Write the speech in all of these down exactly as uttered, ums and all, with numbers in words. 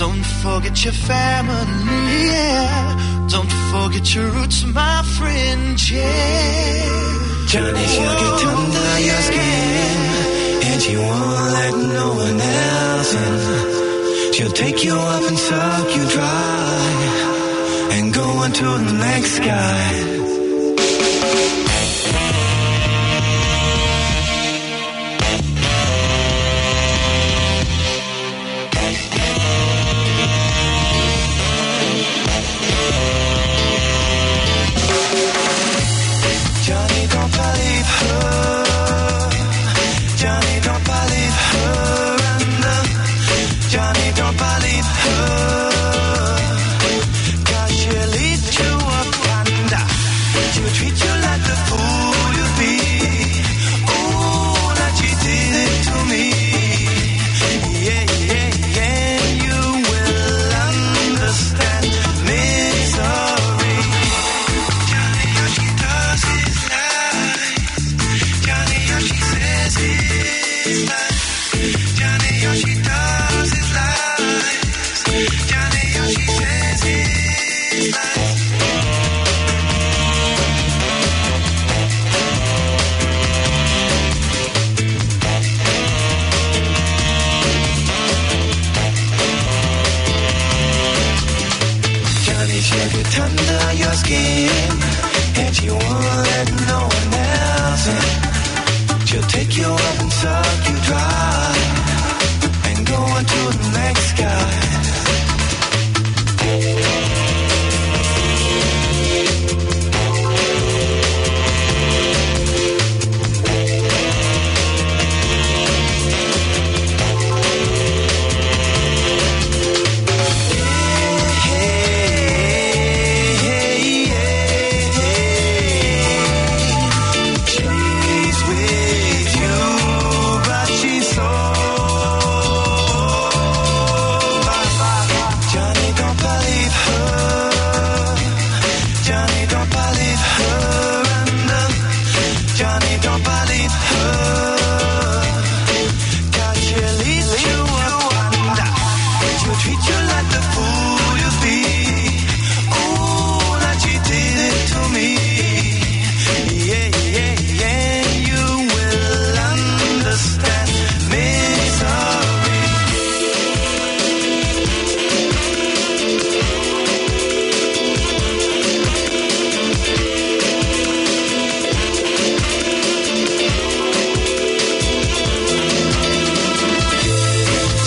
Don't forget your family, yeah. Don't forget your roots, my friend, yeah. Johnny, she'll get under your skin, and she won't let no one else in. She'll take you up and suck you dry, and go on to the next guy. Johnny, don't believe her. Johnny, don't believe her. And, uh, Johnny, don't believe her. 'Cause she'll eat you up and, uh, she'll treat you like the fool you be. Oh, like she did it to me. Yeah, yeah, yeah, you will understand misery. Johnny, all she does is lie. Johnny, all she says is lies. Johnny, all she does is lies. Johnny, all she says is lies. Johnny, she'll get under your skin, and she won't let no one else in. She'll take you up and suck you dry, and go on to the next guy. Johnny, don't believe her. Johnny, don't believe her. And, uh, Johnny, don't believe her. 'Cause she'll eat you up and, uh, she'll treat you like the fool you be. Oh, like she did it to me. Yeah, yeah, yeah, you will understand misery.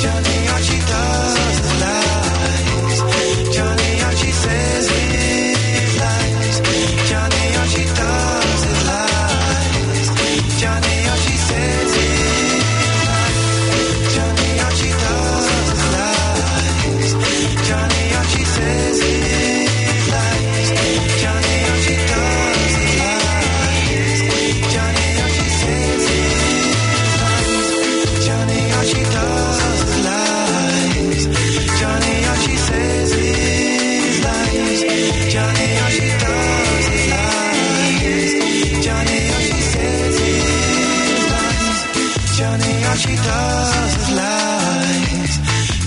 Johnny, all she does is lies. Johnny, all she says is lies. Johnny, all she does is lies. Johnny, all she says is lies. Johnny, all she does is lies. Johnny, all she says is lies. Johnny, all she does is lies. Johnny, all she says is lies. Johnny, all she does is lies. Johnny, all she says is lies. Johnny, all she does is lies. Johnny, all she says is lies. Johnny, all she does is lies.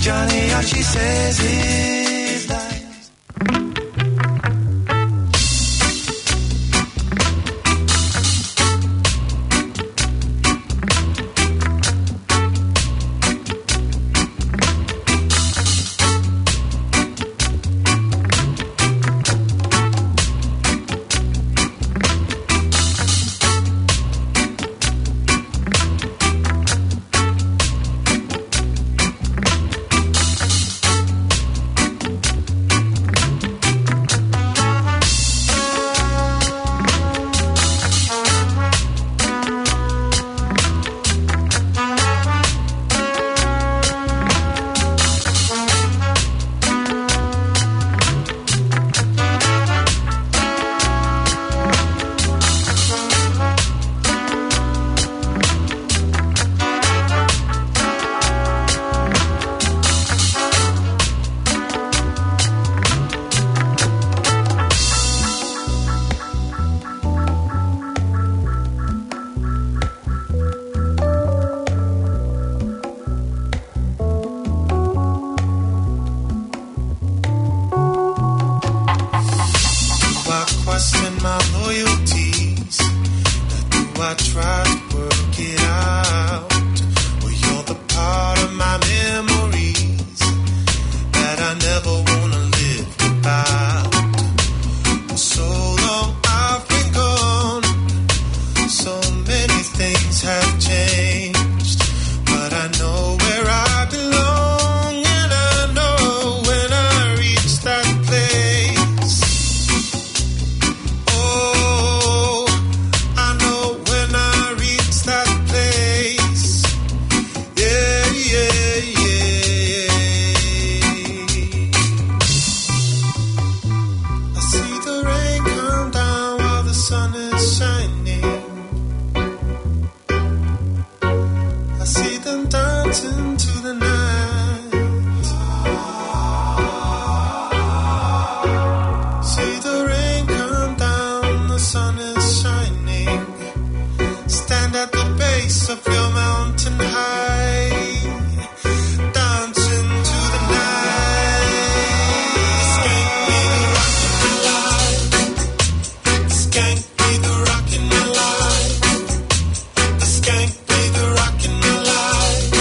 Johnny, all she says is lies. See them dance into the night. See the rain come down, the sun is shining. Stand at the base of your mountain high. Dance into the night. Skank be the rock in my life. Skank be the rock in my life. Skank be the rock in my life.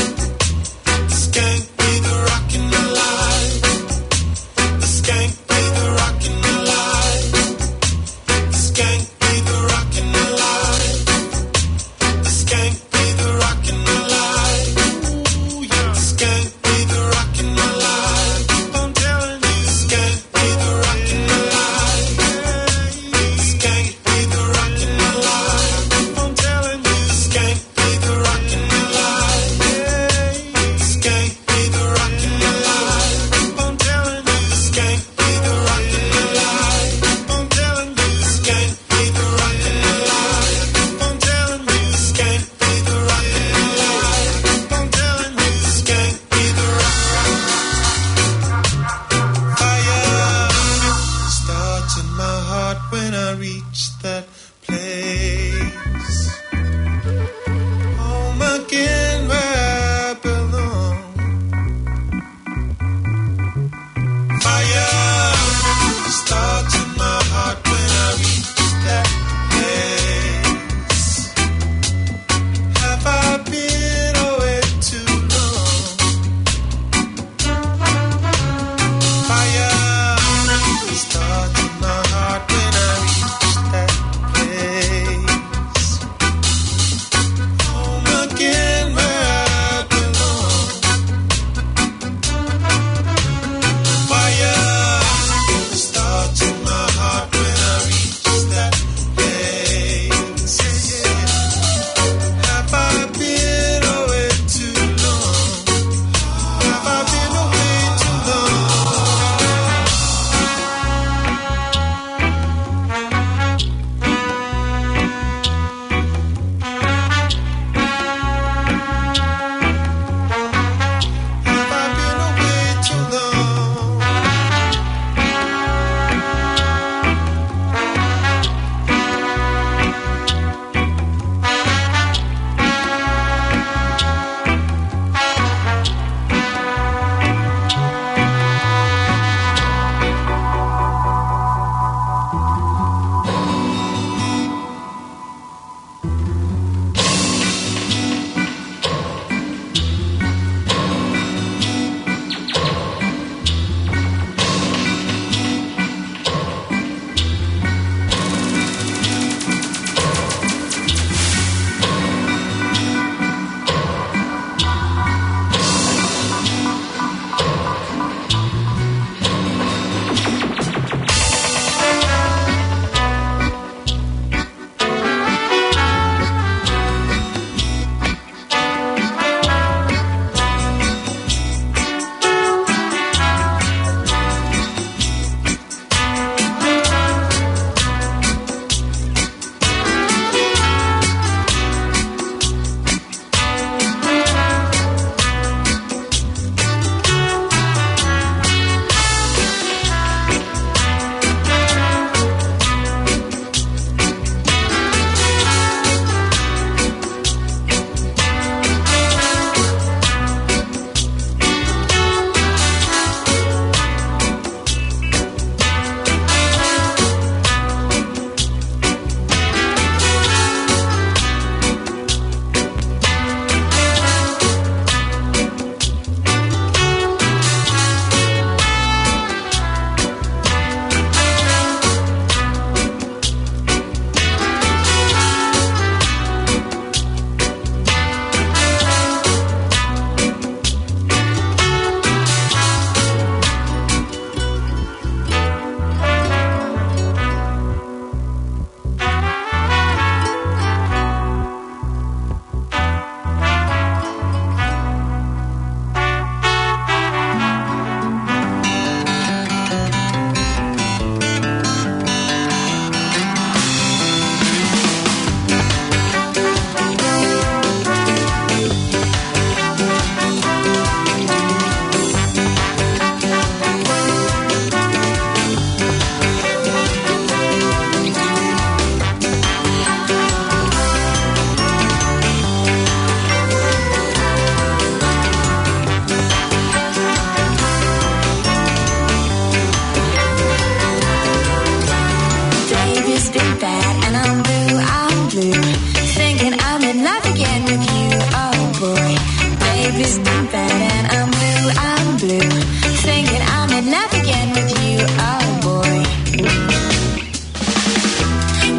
This been bad and I'm blue, I'm blue. Thinking I'm in love again with you, oh boy.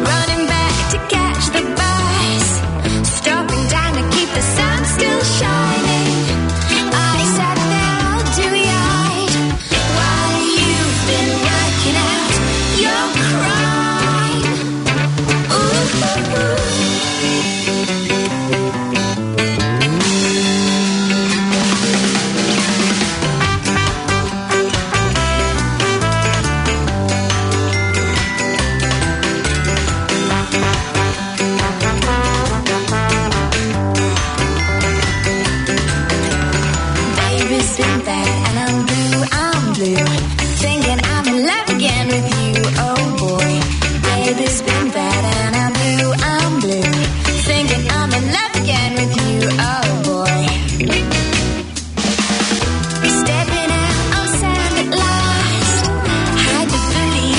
Running back to catch the bus, stopping down to keep the sun still shining. I sat there all dewy-eyed while you've been working out your crime. Ooh. Baby's been bad and I'm blue, I'm blue. Thinking I'm in love again with you, oh boy. Baby's been bad and I'm blue, I'm blue. Thinking I'm in love again with you, oh boy. Stepping out on sand at last. Hide the bully.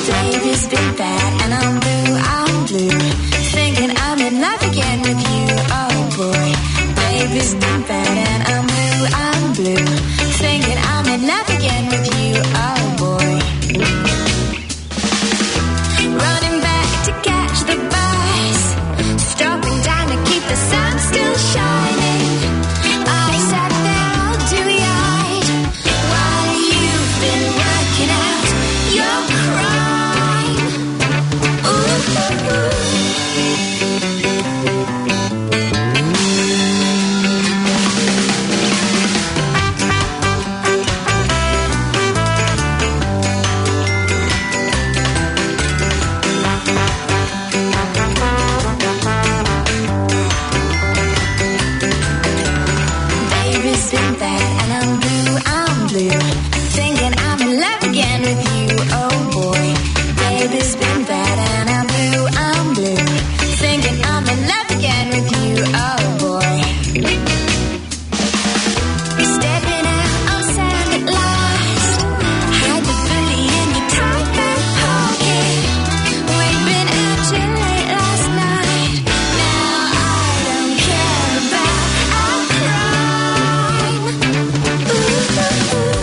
Baby's been bad and I'm blue, I'm blue. Thinking I'm in love again with you, oh boy. Baby's been bad and I'm blue, I'm blue. Thinking I'm in love again with you, oh boy. Running back to catch the bus, stopping down to keep the sun still shining. I sat there all dewy-eyed while you've been working out your crime. Ooh. Baby's been bad and I'm blue, I'm blue. Thinking I'm in love again with you, oh boy. Baby's been bad and I'm blue, I'm blue. Thinking I'm in love again with you, oh boy. Stepping out on sand at last. Hide the bully in your tight back pocket. We've been out too late last night. Now I don't care about our crime. Ooh, ooh, ooh.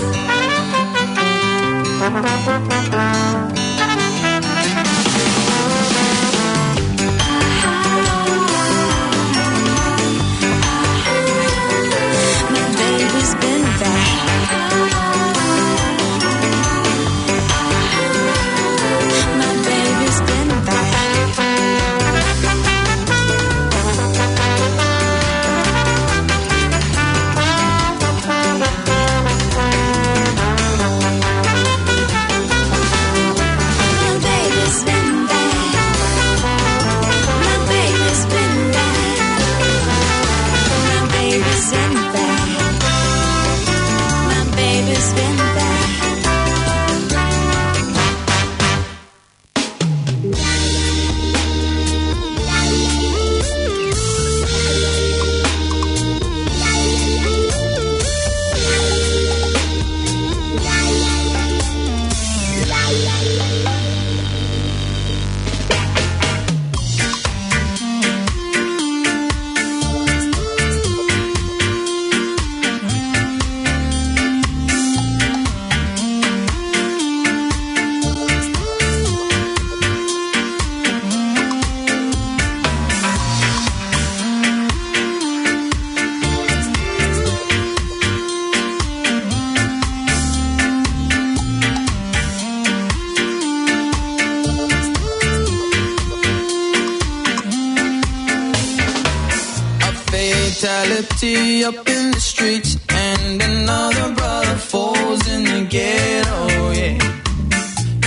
A fatality up in the streets and another brother falls in the ghetto, yeah.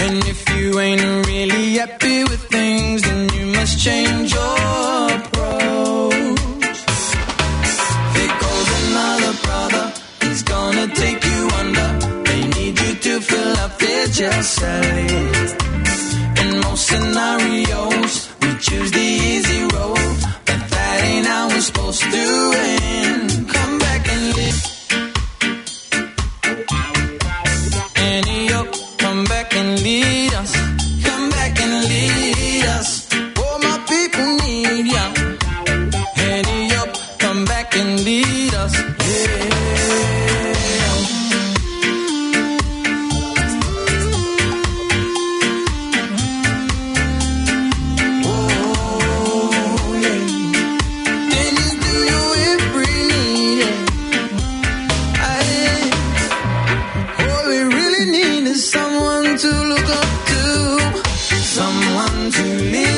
And if you ain't really happy with things, then Change your approach. There goes another brother. He's gonna take you under. They need you to fill up their jail cell. In most scenarios, we choose the easy road, but that ain't how it's supposed to end. Come back and live. Annie up, come back and lead us. Come back and lead us. Oh, my people need ya. Annie up, come back and lead us. Yeah. Oh, yeah. Can you do your every need? Yeah. I All we really need is someone to look up to, someone to lean.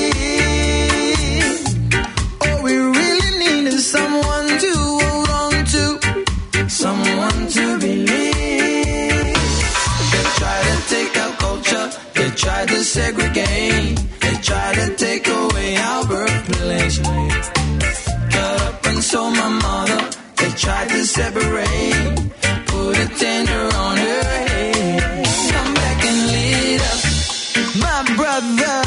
All we really need is someone to hold on to, someone to believe. They try to take our culture, they try to segregate, they try to take away our birthplace. Cut up and sold my mother, they tried to separate, put a tender on her head. Come back and lead us, my brother.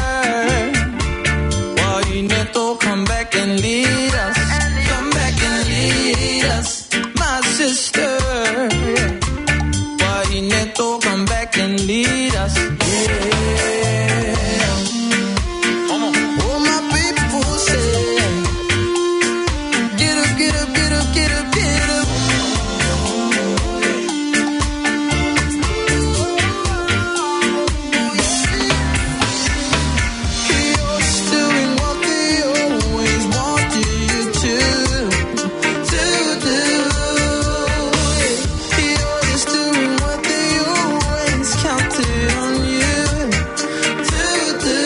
Why you need to come back and lead us? Come back and lead us, my sister. Why you need to come back and lead us? Yeah. All my people say, get up, get up, get up, get up, get up. You're doing what they always wanted you to, to do. You're just doing what they always counted on you to do.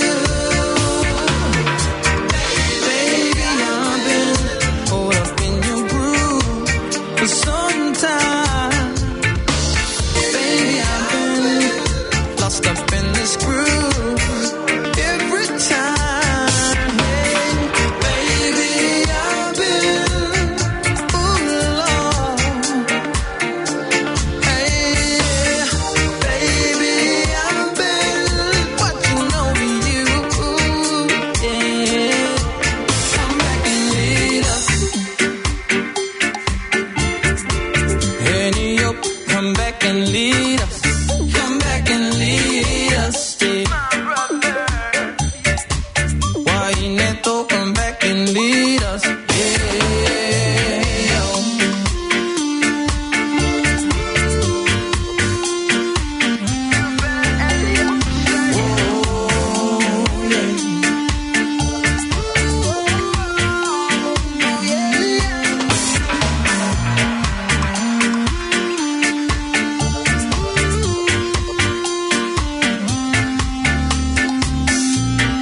Baby, I've been caught up in your groove for some time. Baby, I've been lost up in this groove every time. Hey, baby, I've been, ooh, Lord. Hey, baby, I've been watching over you, yeah. Come back and lead us. Annie up, come back and lead us. Come back and lead us, yeah. Why you need to come back and lead us? Yeah.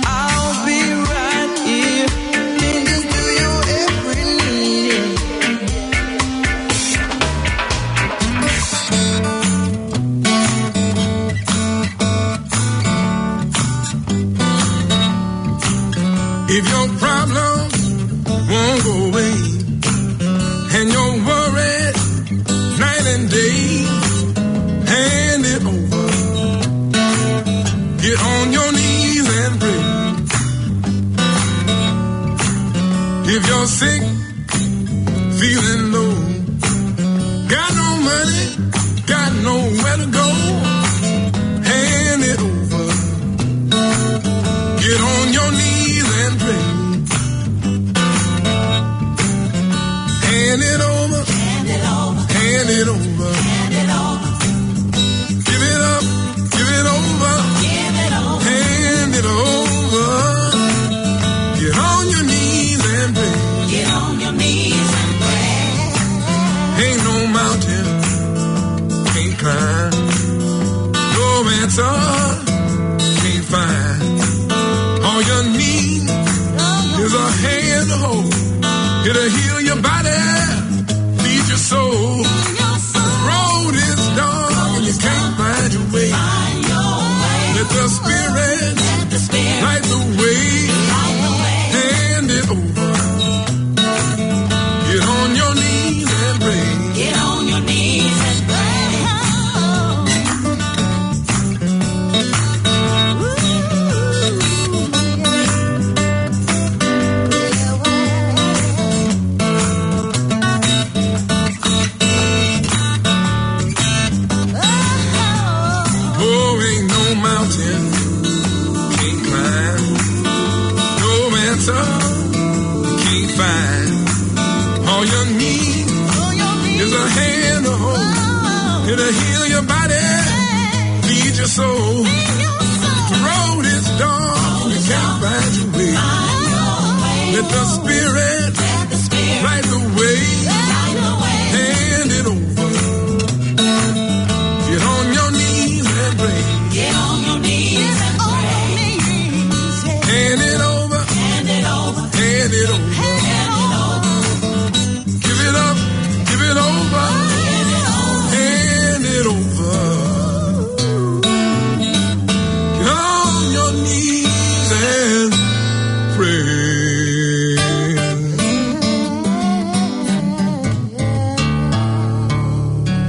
I'll be right here. Tending to your every need. If your problems won't go away and your worries night and day, hand it over. Get on your knees and pray. If you're sick, feeling low, got no money, got nowhere to go, hand it over. Get on your knees and pray. Hand it over. Hand it over. Hand it over. Hand it over. Give it up. Give it over. Give it over. Hand it over. Get on your knees and pray. Get on your knees and pray. Ain't no mountain can't climb. No answer can't find. All you need is a hand to hold. It'll heal your body, feed your soul. Road is dark and you can't find your way. Let the Spirit light the way. Fine. All you need is a hand to hold. It'll heal your body, feed your soul. The road is dark, you can't find your way. Let the Spirit light the way. Hand it over. Get on your knees and pray. Get on your knees and pray. Hand it over. Hand it over. Hand it over. Give it up. Give it over. Hand it over. Get on your knees and pray.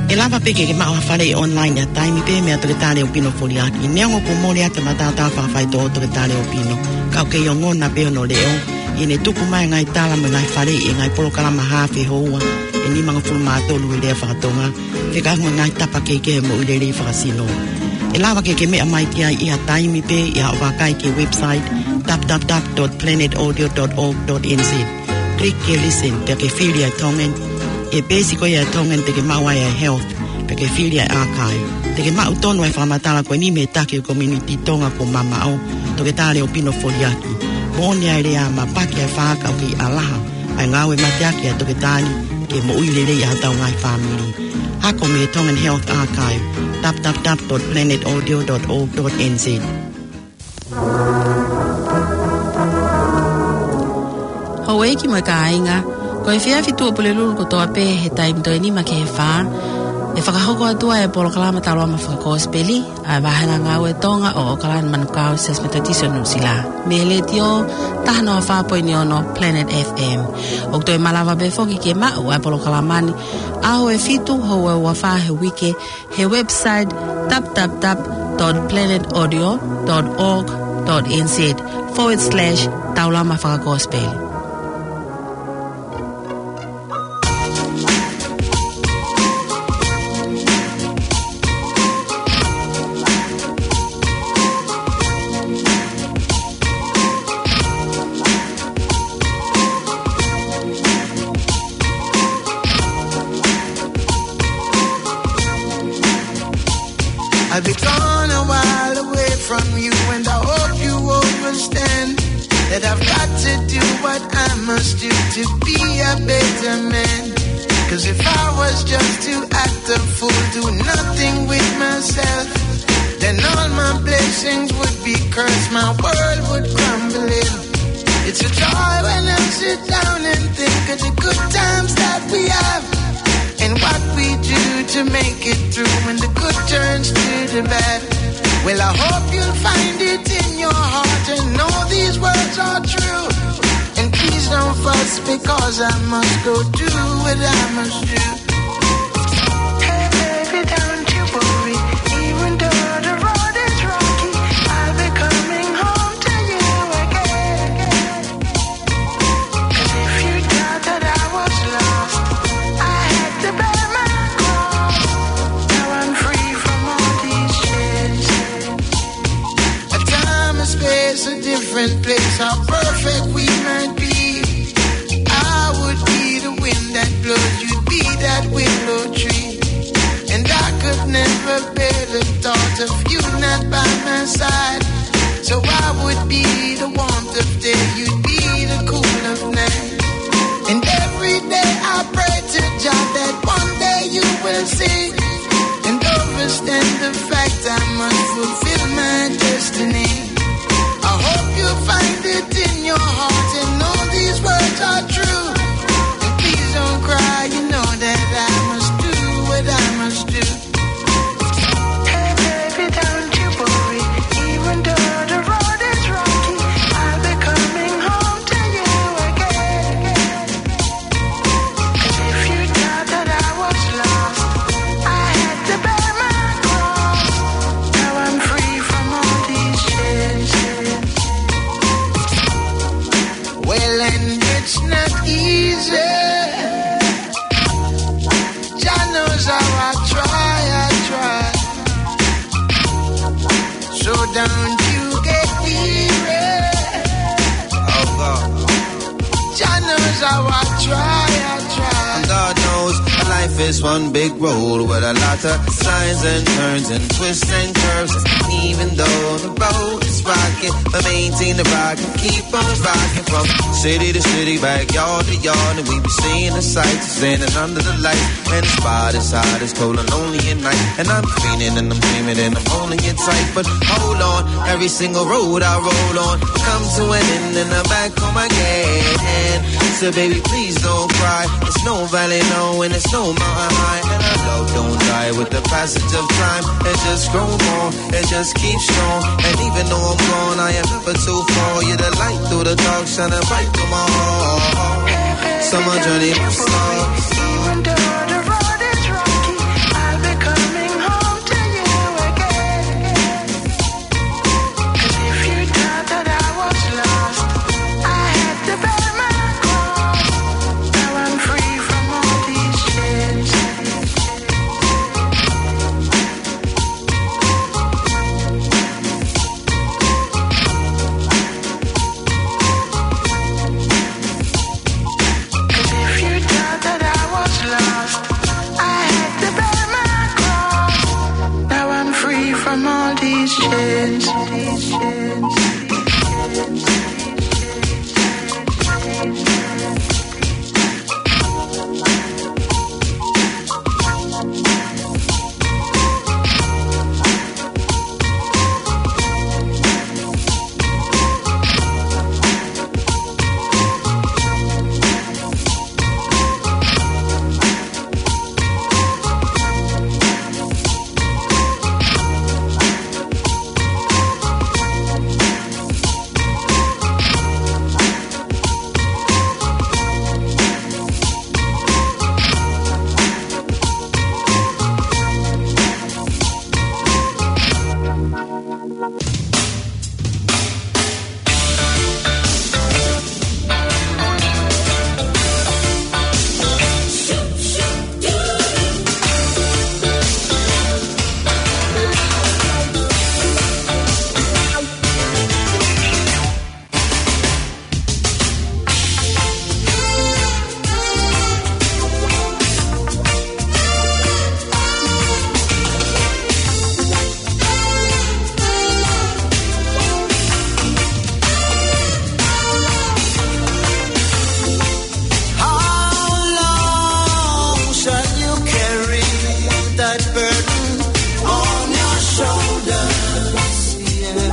ʻE lava pē ke ke maʻu ha faleʻi online ʻi ha taimi pē meia Toketā Leopino Foliaki. Neongo kuo mole atu e mataotao fakafaitoʻo ʻo Toketā Leopino, ka ʻoku kei ongona pē hono leʻo ʻi heʻene tuku mai e ngaahi tala mo e ngaahi faleʻi ʻi he ngaahi polokalama haafe houa ʻe nimangofulu mā tolu ʻi he lea faka-Tonga, fekauʻaki mo e ngaahi tapa kehekehe ʻo e moʻui lelei fakasino. ʻE lava ke ke meʻa mai ki ai ʻi ha taimi pē ʻi haʻo vakai ki he website, w w w dot planet audio dot org dot n z. Click ki he listen, pea ke fili ʻa e Tongan, ʻi he peesi ko ia ʻa e Tongan te ke maʻu ai ʻa e health, pea ke fili ʻa e archive. Te ke maʻu tonu ʻa e fakamatala ko eni mei he taki ʻo e community Tonga kuo mamaʻo, Toketā Leopino Foliaki. Moʻoni ʻa e lea, mapaki ʻa e faʻa kae ʻoku kei ʻalaha ʻa e ngāue mateaki ʻa e toketā ni ki he moʻui lelei ʻa hotau ngaahi fāmili. Ako mei he Tongan Health Archive, w w w dot planet audio dot org dot n z. Houʻeiki mo e kāinga, ko e efiafi Tuʻapulelulu kotoa pē he taimi toe nima ki he fā, ʻe fakahoko atu ai e polokalama Taulama Fakakosipeli ʻa e Vāhenga Ngāue Tonga ʻo ʻOkalani Manukau Siasi Metotisi ʻo Nuʻusila, mei he Letiō taha noa fā poini ono Planet F M. ʻOku toe malava pē foki ke maʻu ʻa e polokalama ni ʻaho ʻe fitu houa ʻe ua fā he uike he website, w w w dot planet audio dot org dot n z forward slash Taulama Fakakosipeli. I'll be gone a while away from you, and I hope you understand that I've got to do what I must do to be a better man. 'Cause if I was just to act a fool, do nothing with myself, then all my blessings would be cursed, my world would crumble in. It's a joy when I sit down and think of the good times that we have and what we do to make it through when the good turns to the bad. Well, I hope you'll find it in your heart and know these words are true. And please don't fuss, because I must go do what I must do. Hey, baby, don't you worry. Even though the road is rocky, I'll be coming home to you again. 'Cause if you thought that I was lost, I had to bear my cross. Now I'm free from all these chains. A time, a space, a different place, how perfect we might be. I would be the wind that blows, you'd be that willow tree. And I could never bear the thought of you not by my side. So I would be the warmth of day, you'd be the cool of night. And every day I pray to Jah that one day you will see and overstand the fact I must fulfill my destiny. I hope you find it in your heart and know these words are true. And please don't cry, you know that I must do what I must do. Hey, baby, don't you worry. Even though the road is rocky, I'll be coming home to you again. 'Cause if you thought that I was lost, I had to bear my cross. Now I'm free from all these chains. Well, and it's not easy. Jah knows how I try, I try. So don't you get weary. Oh God. Jah knows So I try, I try. And God knows life is one big road with a lot of signs and turns and twists and curves. And even though the road is rocky, we maintain the rock and keep on rocking from city to city, backyard to yard, and we be seeing the sights, standing under the light. And the spot is hot, it's cold and lonely at night. And I'm fiending and I'm dreaming and I'm holding it tight. But hold on, every single road I roll on comes to an end and I'm back home again. So baby, please don't cry. It's no valley low and it's no mountain high. And our love don't die with the passage of time. It just grows more, it just keeps strong. And even though I'm gone, I am never too far. You're the light through the dark, shining bright through my heart. So my journey must start. Even though the road is rocky, I'll be coming home to you again. 'Cause if you thought that I was lost, I had to bear my cross. Now I'm free from all these chains. 'Cause if you thought that I was lost, I had to bear my cross. Now I'm free from all these chains. How long shall you carry that burden on your shoulders? Yeah.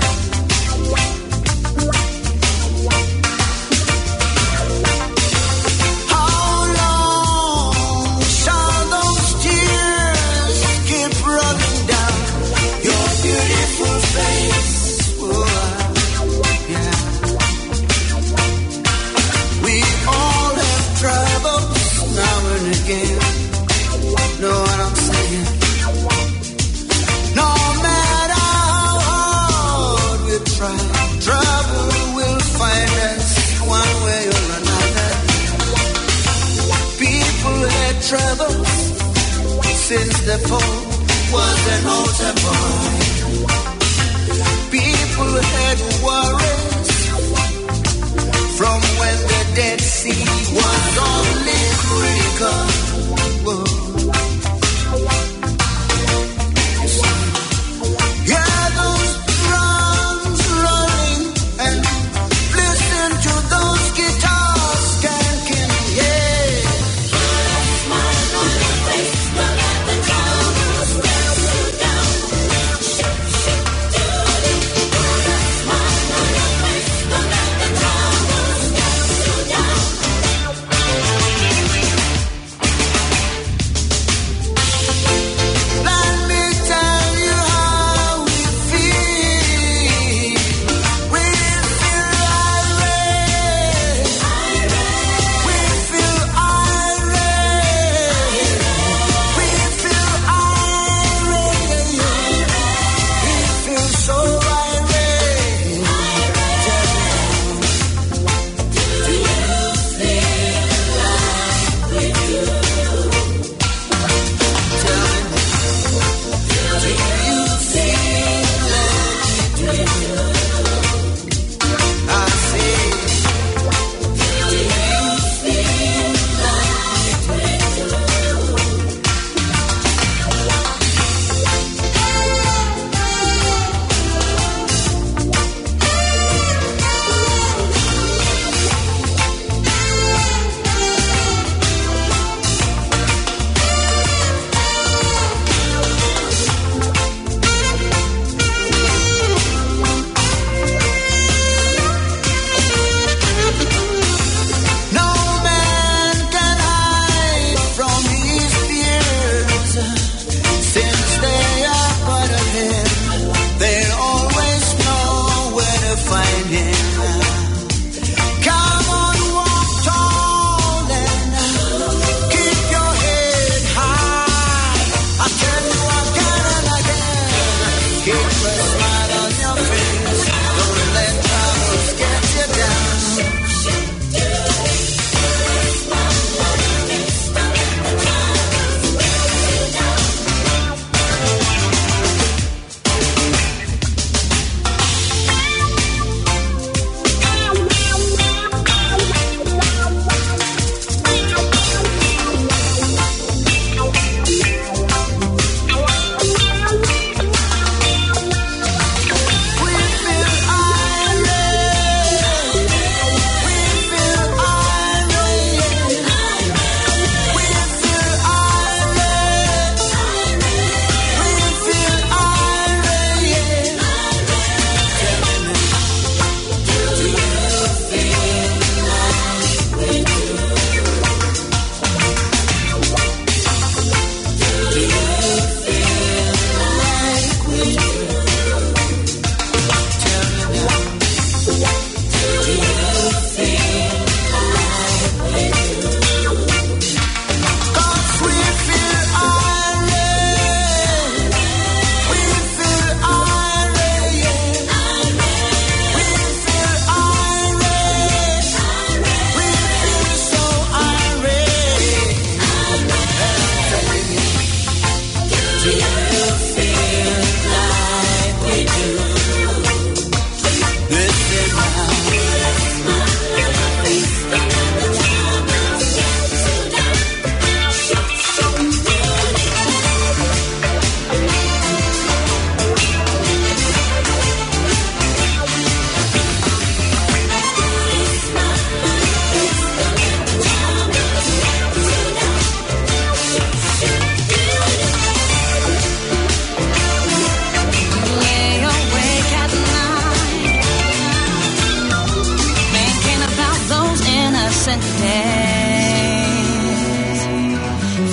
How long shall those tears keep rolling down your beautiful face? Oh, yeah. We all have troubles now and again. Know what I'm saying? No matter how hard we try, trouble will find us one way or another. People had troubles since the pope was an altar boy. People had worries from when the Dead Sea was only critical. Whoa. Hear those drums rolling and listen to those guitars skanking, yeah.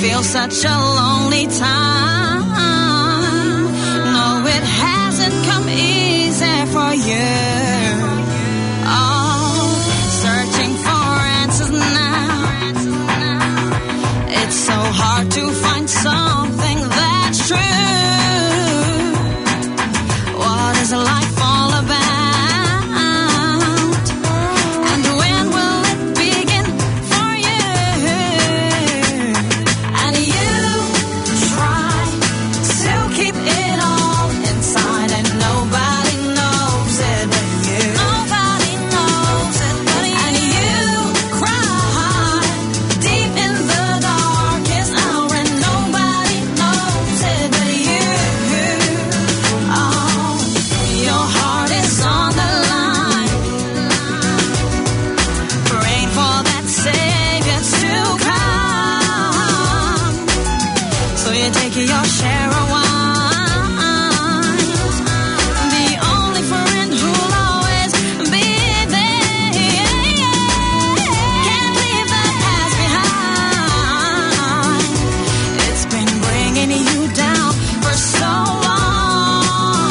Feel such a lonely time. No, it hasn't come easy for you. Oh, searching for answers now. It's so hard to find something that's true. What is life all about? And when will it begin for you? And you try to keep it all inside, and nobody knows it but you. Nobody knows it but you. And you cry deep in the darkest hour, and nobody knows it but you. Oh, your heart is on the line, praying for that savior to come. So you take your share of wine. The only friend who'll always be there. Can't leave the past behind. It's been bringing you down for so long.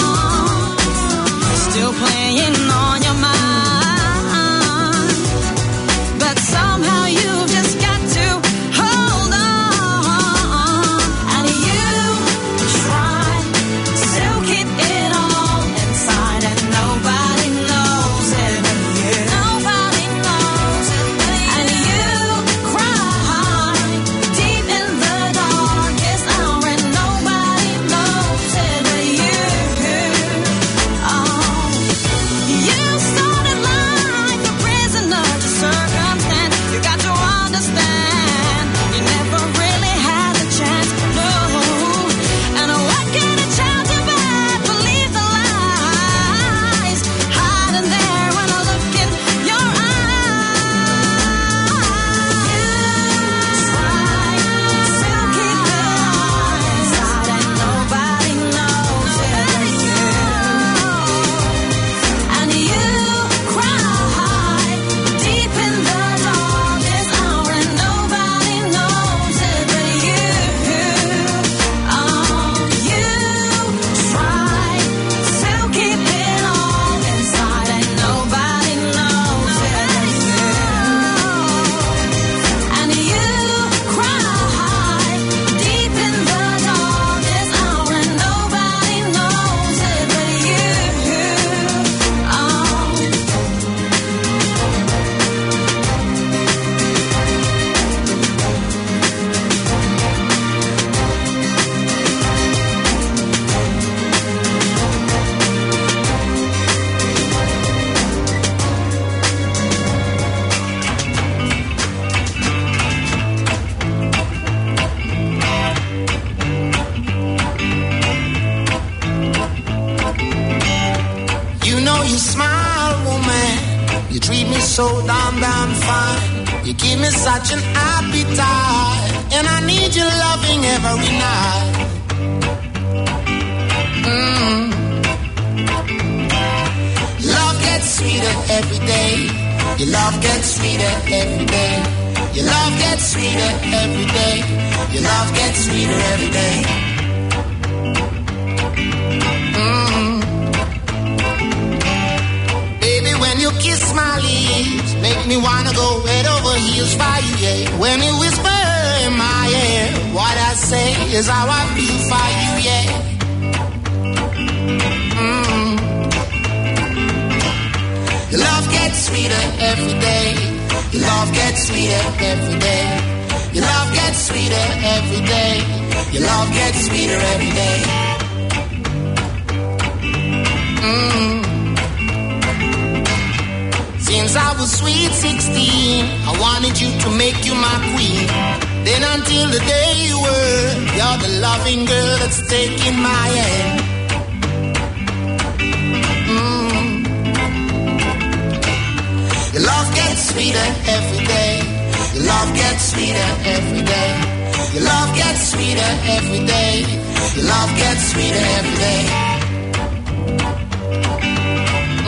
Still playing on your mind. But somehow you've just got to hold on. And you try to keep it all inside, and nobody knows it but you. Nobody knows it but you. And you cry deep in the darkest hour, and nobody knows it but you. Oh, you started life a prisoner to circumstance. You got to understand, you never really had a chance, no. And what can a child do but believe the lies hiding there when I look in your eyes? You try to keep it inside, and nobody knows it but you. And you cry deep in the darkest hour, and nobody knows it but you. Oh, you try to keep it all inside, and nobody knows it but you. And you cry deep in the darkest hour, and nobody knows it but you. Oh. You know you smile, woman. You treat me so damn, damn fine. You give me such an appetite, and I need your loving every night. Mm. Love gets sweeter every day. Your love gets sweeter every day. Your love gets sweeter every day. Your love gets sweeter every day. Mm. Baby, when you kiss my lips, make me wanna go head over heels for you, yeah. When you whisper in my ear, what I say is how I feel for you, yeah. Mm. Your love gets sweeter every day. Your love gets sweeter every day. Your love gets sweeter every day. Your love gets sweeter every day. Mm. Since I was sweet sixteen, I wanted you to make you my queen. Then until the day you were, you're the loving girl that's taking my hand. Mm. Your love gets sweeter every day. Your love gets sweeter every day. Your love gets sweeter every day. Your love gets sweeter every day.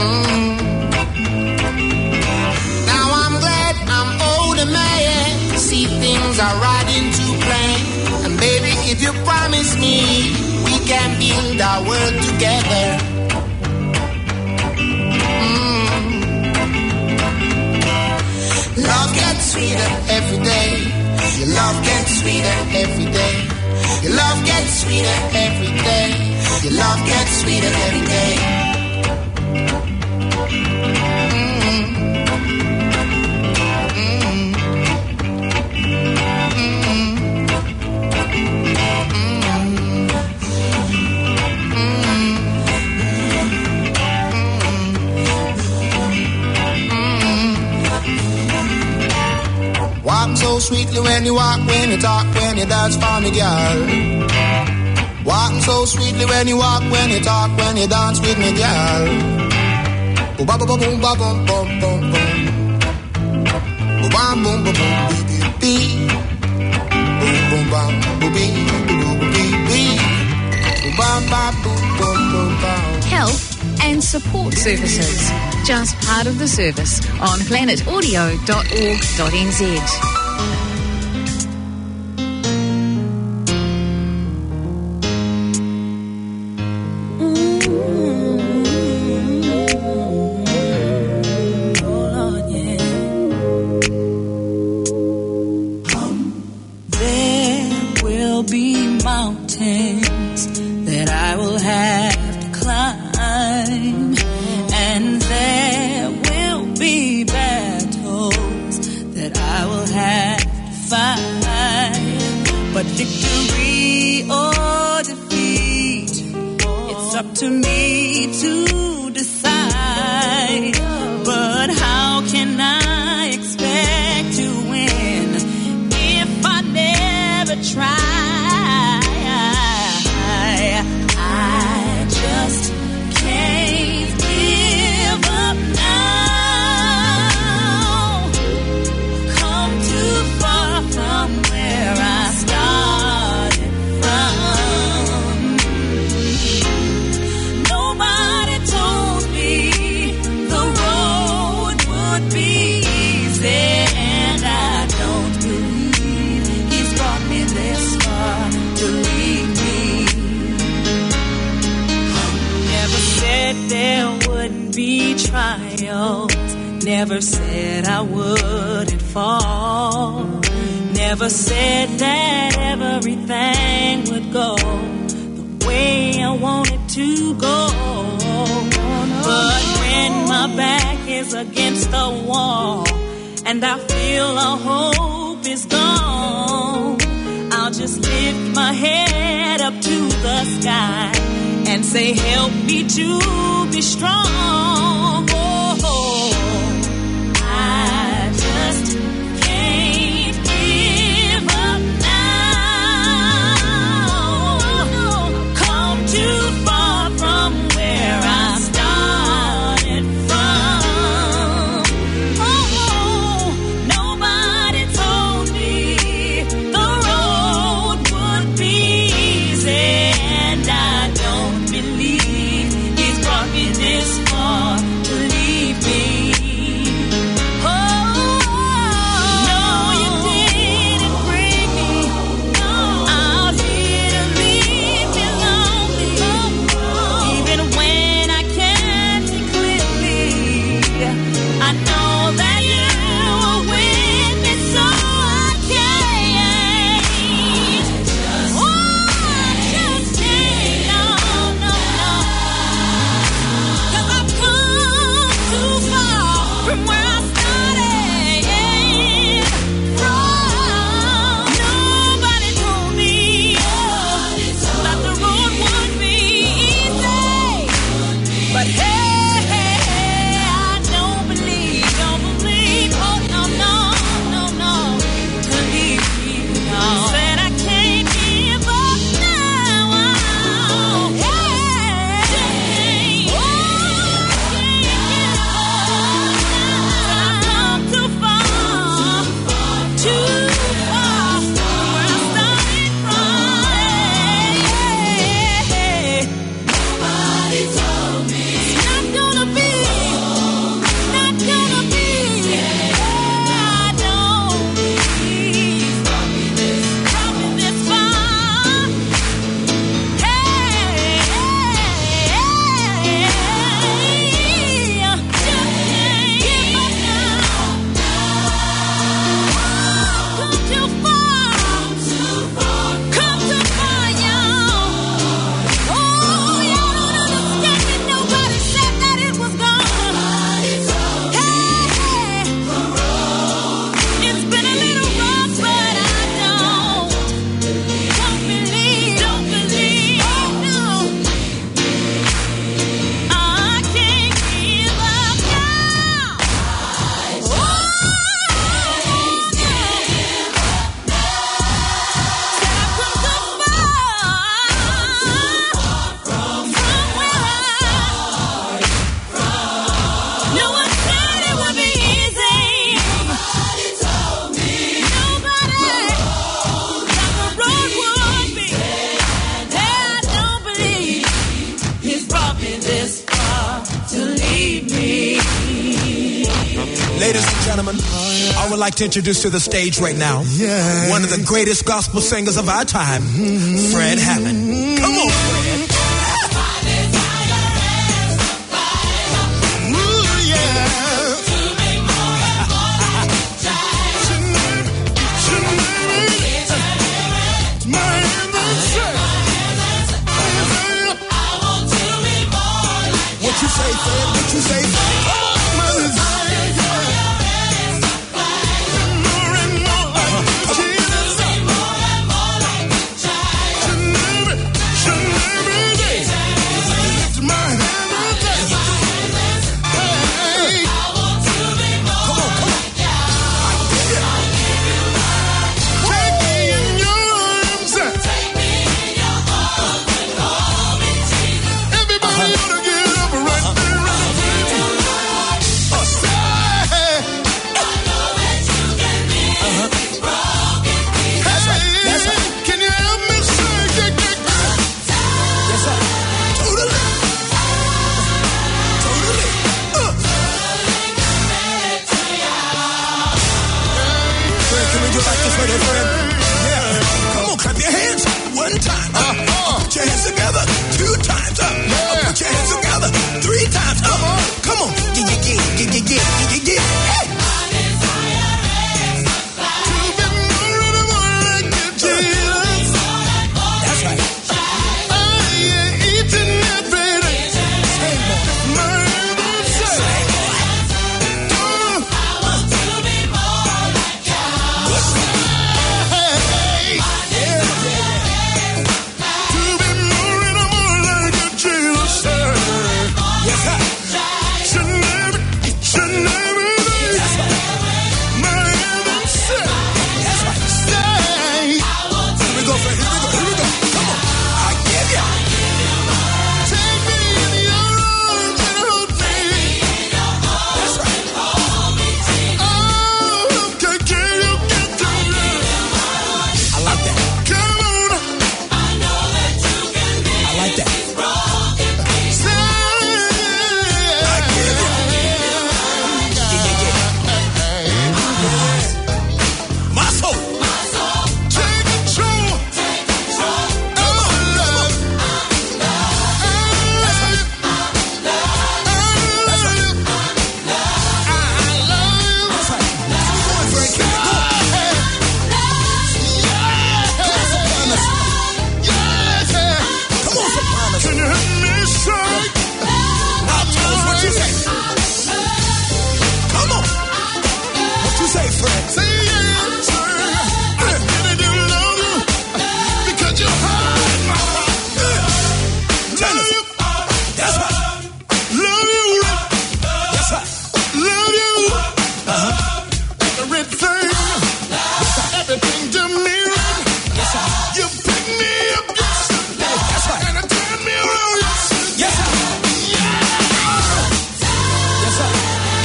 Mm. Now I'm glad I'm older, man. Promise me we can build our world together. Mm. Love gets sweeter every day. Your love gets sweeter every day. Your love gets sweeter every day. Your love gets sweeter every day. Mm. Mm. Mm. Walk so sweetly when you walk, when you talk, when you dance for me, girl. Walk so sweetly when you walk, when you talk, when you dance with me, girl. Boom, ba, ba, ba, boom, ba, boom, boom, boom, boom. Boom, bam, boom, boom, boom, bee, bee, bee. Boom, boom, bam, boom, bee, bee, boom, bee, bee. Boom, bam, bam, boom, boom, boom, bam. Health and support services. Just part of the service on planet audio dot org dot N Z. There will be mountains that I will have to climb, and there will be battles that I will have to fight. But victory or defeat, it's up to me to decide. But how can I expect to win if I never try? I just can't give up now. Come too far from where I started from. Nobody told me the road would be easy, and I don't believe he's brought me this far to leave me. Never said there wouldn't be trials. Never said I wouldn't fall. Never said that everything would go the way I want it to go. But when my back is against the wall and I feel all hope is gone, I'll just lift my head up to the sky and say, "Help me to be strong." Oh, I just can't give up now. Come too far from where I started from. Oh, nobody told me the road would be easy, and I don't believe he's brought me this far to I would like to introduce to the stage right now, yeah, one of the greatest gospel singers of our time, Fred Hammond. Come on, Fred. Ooh, yeah. What you say, Fred? What you say, Fred? Come on, Fred. More and more like Jesus. Should never, should never be. Lift my hand and say, hey. Come on, come on. I give you. Take me in your arms. Everybody ought to get up right there in the place. Say, hey, can you help me say, yeah, yeah, yeah. Yes, sir. Totally. Totally. Uh. Fred, can we do it like this right here, Fred? Yeah. Come on, clap your hands. One time. Uh, uh. Put your hands together. Two times. Uh, uh. Put your hands together. Three times. Uh, uh. Come on. Yeah, yeah, yeah. Hey. That's right. Yes, sir. Should never, should never be. My heaven said, stay. Here we go, Fred. Here we go. Here we go. Come on. I give you. Take me in your arms and hold me. That's right. Oh, can, can you get to me? I like that. Come on. I like that. Muscle. Take control. Come on, come on. That's right. Keep it going, Fred. Keep it going. Come on, Sopranos. Come on, Sopranos. Now, Thomas, what you say? Come on. What you say, Fred? Say yes, sir. I really do love you because you heard my heart. Tennis. That's right. Love you. Yes, sir. Love you. Uh-huh. Everything. Yes, sir. Everything to me. Yes, sir. You pick me up. Yes, sir. That's right. And I turn me around. Yes, sir. Yeah. Yes, sir.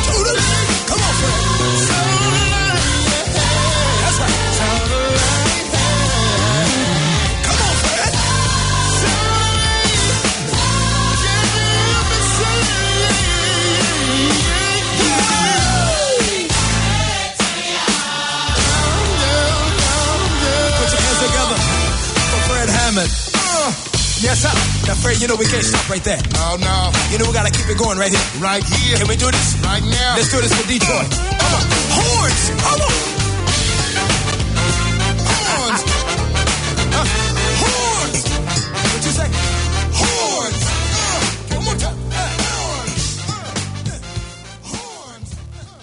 Totally. Come on, Fred. That's right. Come on, Fred. Put your hands together for Fred Hammond. Uh, yes, sir. Now, Fred, you know we can't stop right there. Oh, no. You know we gotta keep it going right here. Right here. Can we do this? Right now. Let's do this for Detroit. Come on. Horns. Come on. Horns. Uh, horns. What you say? Horns. Uh, one more time. Uh, horns. Uh, horns. Uh.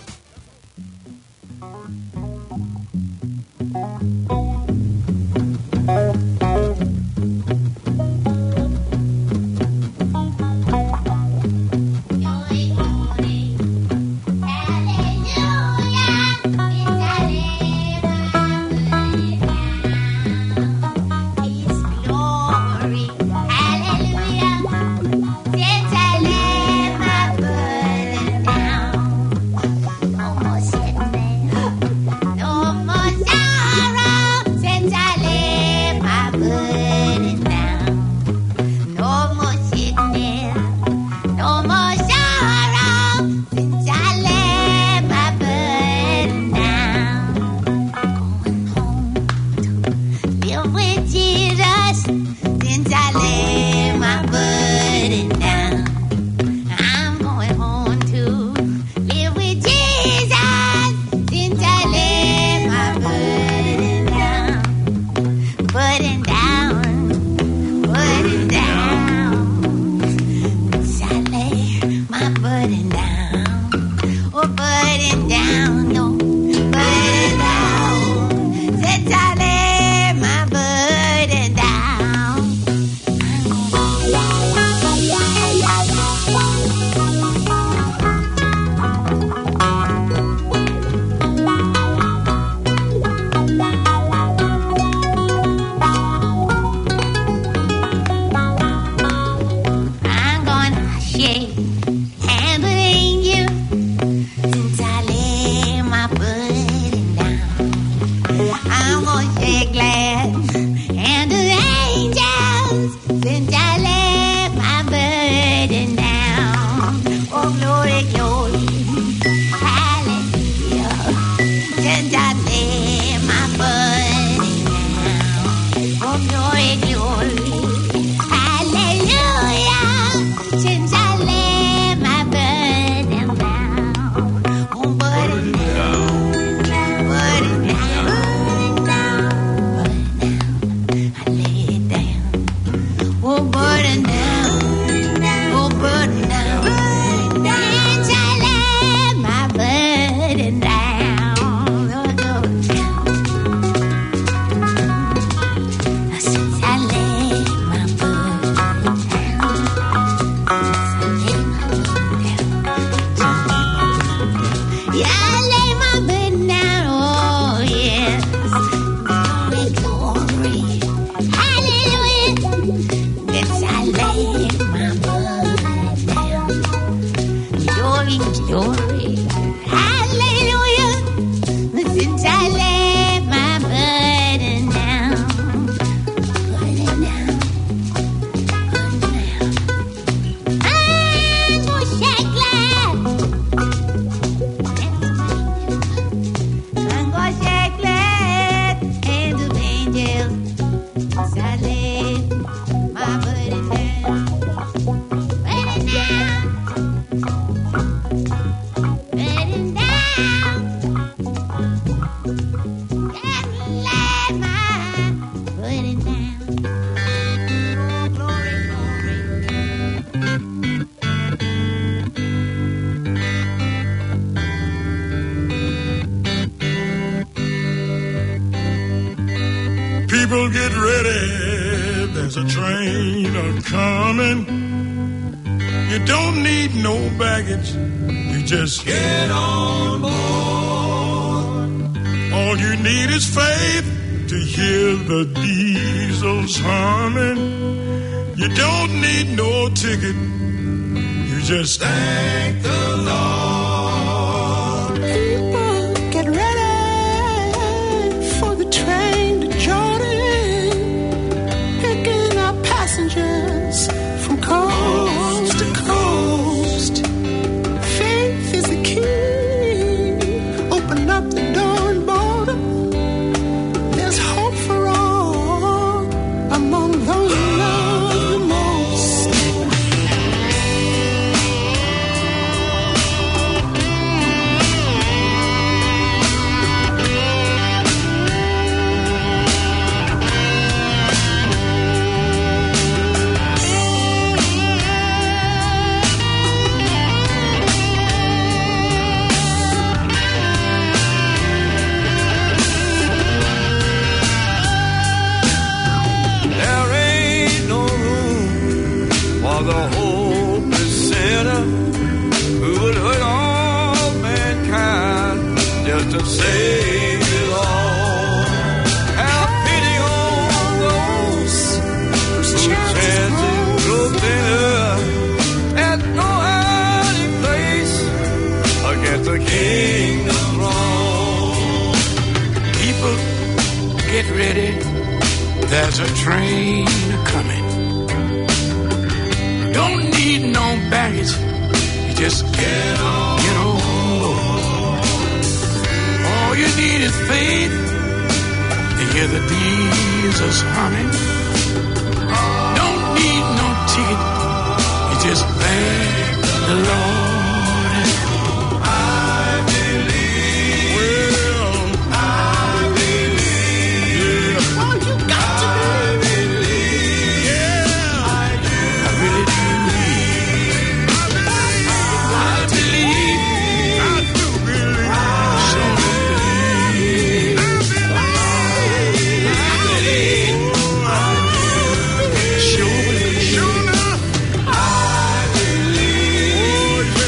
Since I laid my burden down, oh, glory, glory, hallelujah. Since I laid my burden down, oh, burden down, burden down, burden down, burden down. I lay it down. Oh, burden down. Oh, burden down. Since I laid my burden down. Since I laid my burden down. I lay my burden down. Yeah, I lay my burden down. Oh, yes. Glory, glory. Hallelujah. Since I laid my burden down. Glory, glory. Hallelujah. Since I laid my burden down. Burden down. Burden down. Angels shake glad. Angels shake glad. And the angels Salem, my burden down. Burden down. Burden down. Salem, my burden down. Oh, glory, glory. People, get ready, there's a train a-coming. You don't need no baggage, you just get on board. All you need is faith to hear the diesels humming. You don't need no ticket. You just thank the Lord. People, get ready for the train to Jordan, picking up passengers from coast to coast. Faith is the key. Open up the door and board. There's hope for all among those we love the most. There ain't no room for the hopeless sinner who would hurt all mankind just to save it all. Have pity on those whose chances grow thinner. There's no hiding place against the kingdom throne. People, get ready. There's a train a-coming. Don't need no baggage. You just get on, get on board. All you need is faith to hear the diesels humming. Don't need no ticket. You just thank the Lord. I believe. Well, I believe. Yeah. Oh, you got to believe. I believe. Yeah. I do. I really do believe. I believe. I believe. I do believe. I believe. I believe. I believe. Sure. Sure enough. I believe. Oh,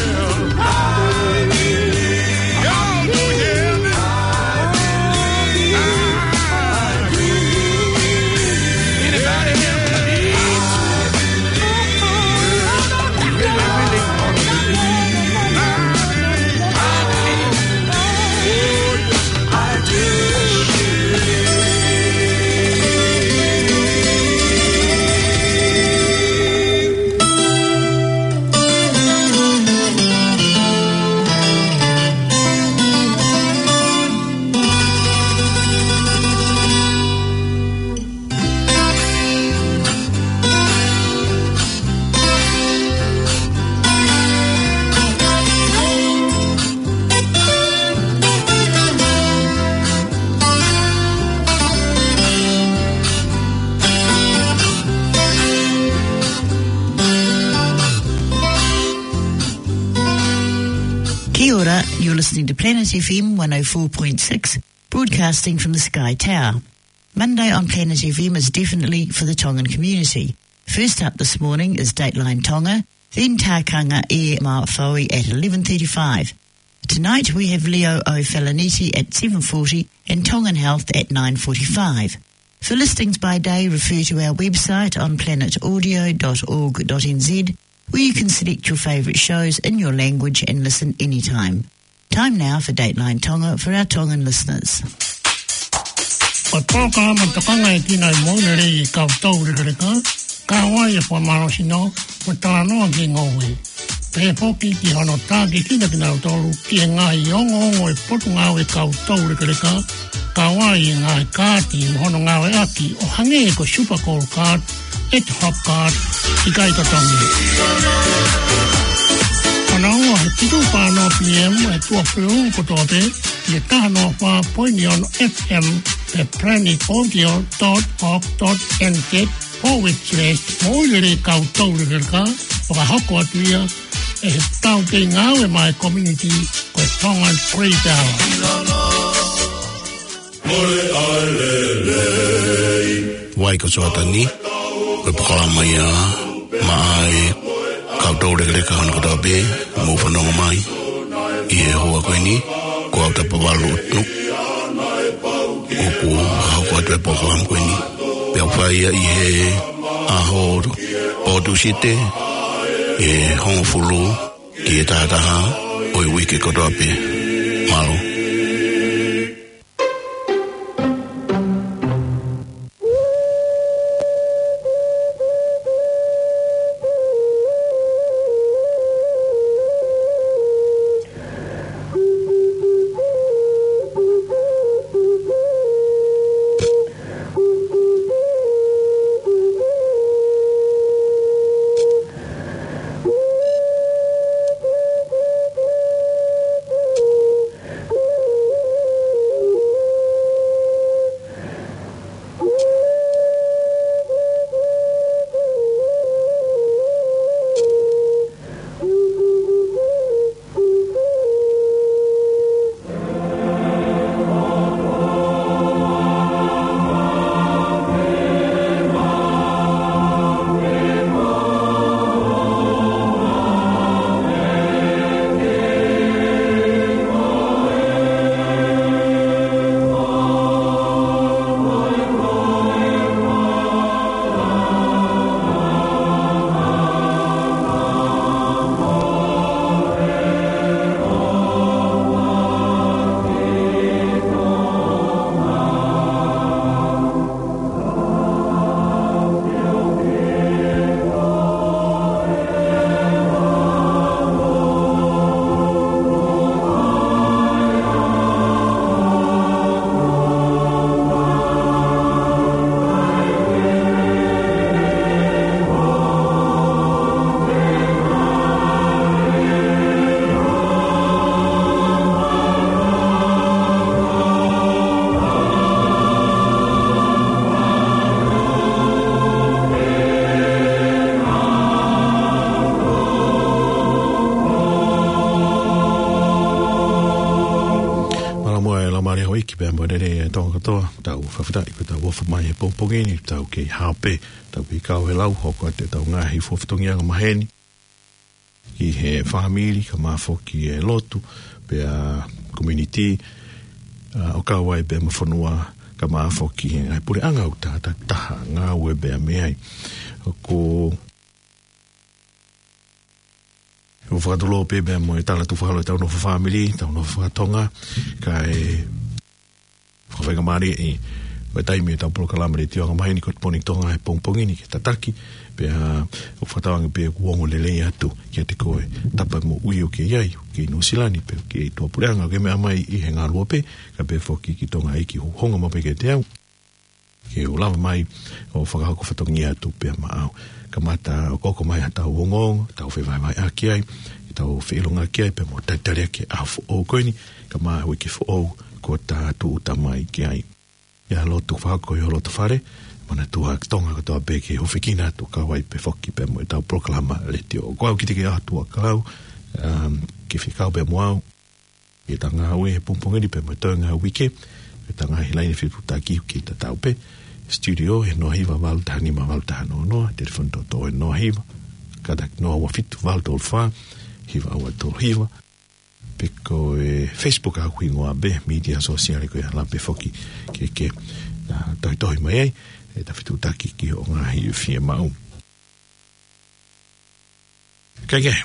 Listening to Planet F M one oh four point six, broadcasting from the Sky Tower. Monday on Planet F M is definitely for the Tongan community. First up this morning is Dateline Tonga, then Takanga Air Maui at eleven thirty-five. Tonight we have Leo O'Falaniti at seven forty and Tongan Health at nine forty-five. For listings by day, refer to our website on planet audio dot org dot N Z, where you can select your favourite shows in your language and listen anytime. Time now for Dateline Tonga for our Tongan listeners. Ko e polokalama tokanga ʻe kina ʻi he moʻui lelei ʻa e kau toulekeleka, kau ai e fakamālohisino mo e talanoa ki he ngoue. Pehē foki ki hono tākiekina kinautolu ki he ngaahi ongoongo ʻa e Potungāue ʻa e kau toulekeleka, kau ai e ngaahi kaati mo hono ngāueʻaki ʻo hangē ko e Super Gold Card, ʻEte Hop Card, ʻikai totongi. Kananga he fitu pea ono P M ʻi he tuʻa pē ʻo e kotoa pē, ʻi he taha noa fā poini ono F M, pe planet audio dot org dot N Z forward slash moʻui lelei kau toulekeleka, fakahoko atu ia ʻe he tauhi ngāue maʻa e community ko e Tongan Great Hour. Vai ko Soatani, ko e polokalama ia maʻa e kau toulekeleka hono kotoa pē, mou fanongo mai ʻi he houa ko eni, ko au Tapavalu Nuku, ʻoku fakahoko atu e polokalama ko eni. Pea ʻoku fai ia ʻi he ʻaho Pō Tūsite, ʻi he hongofulu ki he taha taha ʻo e uike kotoa pē. Mālō. Mālō muʻa e laumālie houʻeiki pea mo e lelei ʻa e Tonga kotoa, tau fakafetaʻi ko ʻetau ʻofa mai he pongipongi ni, tau kei haʻu pē, tau kei kau he lau, hoko atu ʻetau ngaahi fatongia ʻo e maheni ki he fāmili, kae ʻumaʻā foki e lotu, pea community, ʻa, ʻo kau ai pea mo e fonua, kae ʻumaʻā foki e ngaahi puleʻanga ʻoku ta, ta, taha ngāue pea mei ai. ʻOku ou fakatulou pē pea mo e tala tuʻu fakaholo ʻetau nofo fāmili, ʻetau nofo fakatonga, kae fakafaingamālieʻi ʻa e taimi ʻetau polokalama letiō ʻa e maheni ko e Good Morning Tonga he pongipongi ni ke tataki, pea ʻoku ou fakatauange pē ʻoku ongo lelei atu kiate koe, tapa moʻui ʻoku ke ʻi ai, ʻoku ke ʻi Nuʻusila ni pe ʻoku ke ʻi tuʻapuleʻanga ʻoku ke meʻa mai ʻi he ngaluope, kae pehē foki ki Tonga ʻi he ʻoku hoko mai pē kiate au. Ke u lava mai ʻo fakahoko fatongia atu pea maʻau. Kamata ʻoku hoko mai ʻetau ongoongo, tau fevahevaheʻaki ai, tau feʻilongaki ai, pea mo talitali ʻaki e ʻaho foʻou ko eni, kae ʻumaʻā e uike foʻou kuo ta tūʻuta mai ki ai. ʻIo, lotu fakahoko ʻi ho loto fale, manatua Tonga kotoa pē ke hūfekina atu kau ai pē foki pea mo ʻetau polokalama letiō. Ko au Kitike ʻAtua Kalau, um, ke fekau pea mo au. ʻetau ngāue he pongipongi ni pea mo e toenga uike, ʻetau ngaahi laine fetuʻutaki ʻoku tatau pē. Studio he noa hiva valu taha nima valu taha noa noa, telefoni tōtō he noa hiva, kātaki noa ua fitu valu tolu fā, hiva ua tolu hiva. Pe ko e Facebook ʻa e hingoa pē, media sosiale ko ia, ʻalu pē foki ke, ke, ʻa, tohitohi mai ai, ʻetau fetuʻutaki ki hoʻo ngaahi fiemaʻu. Kae kehe,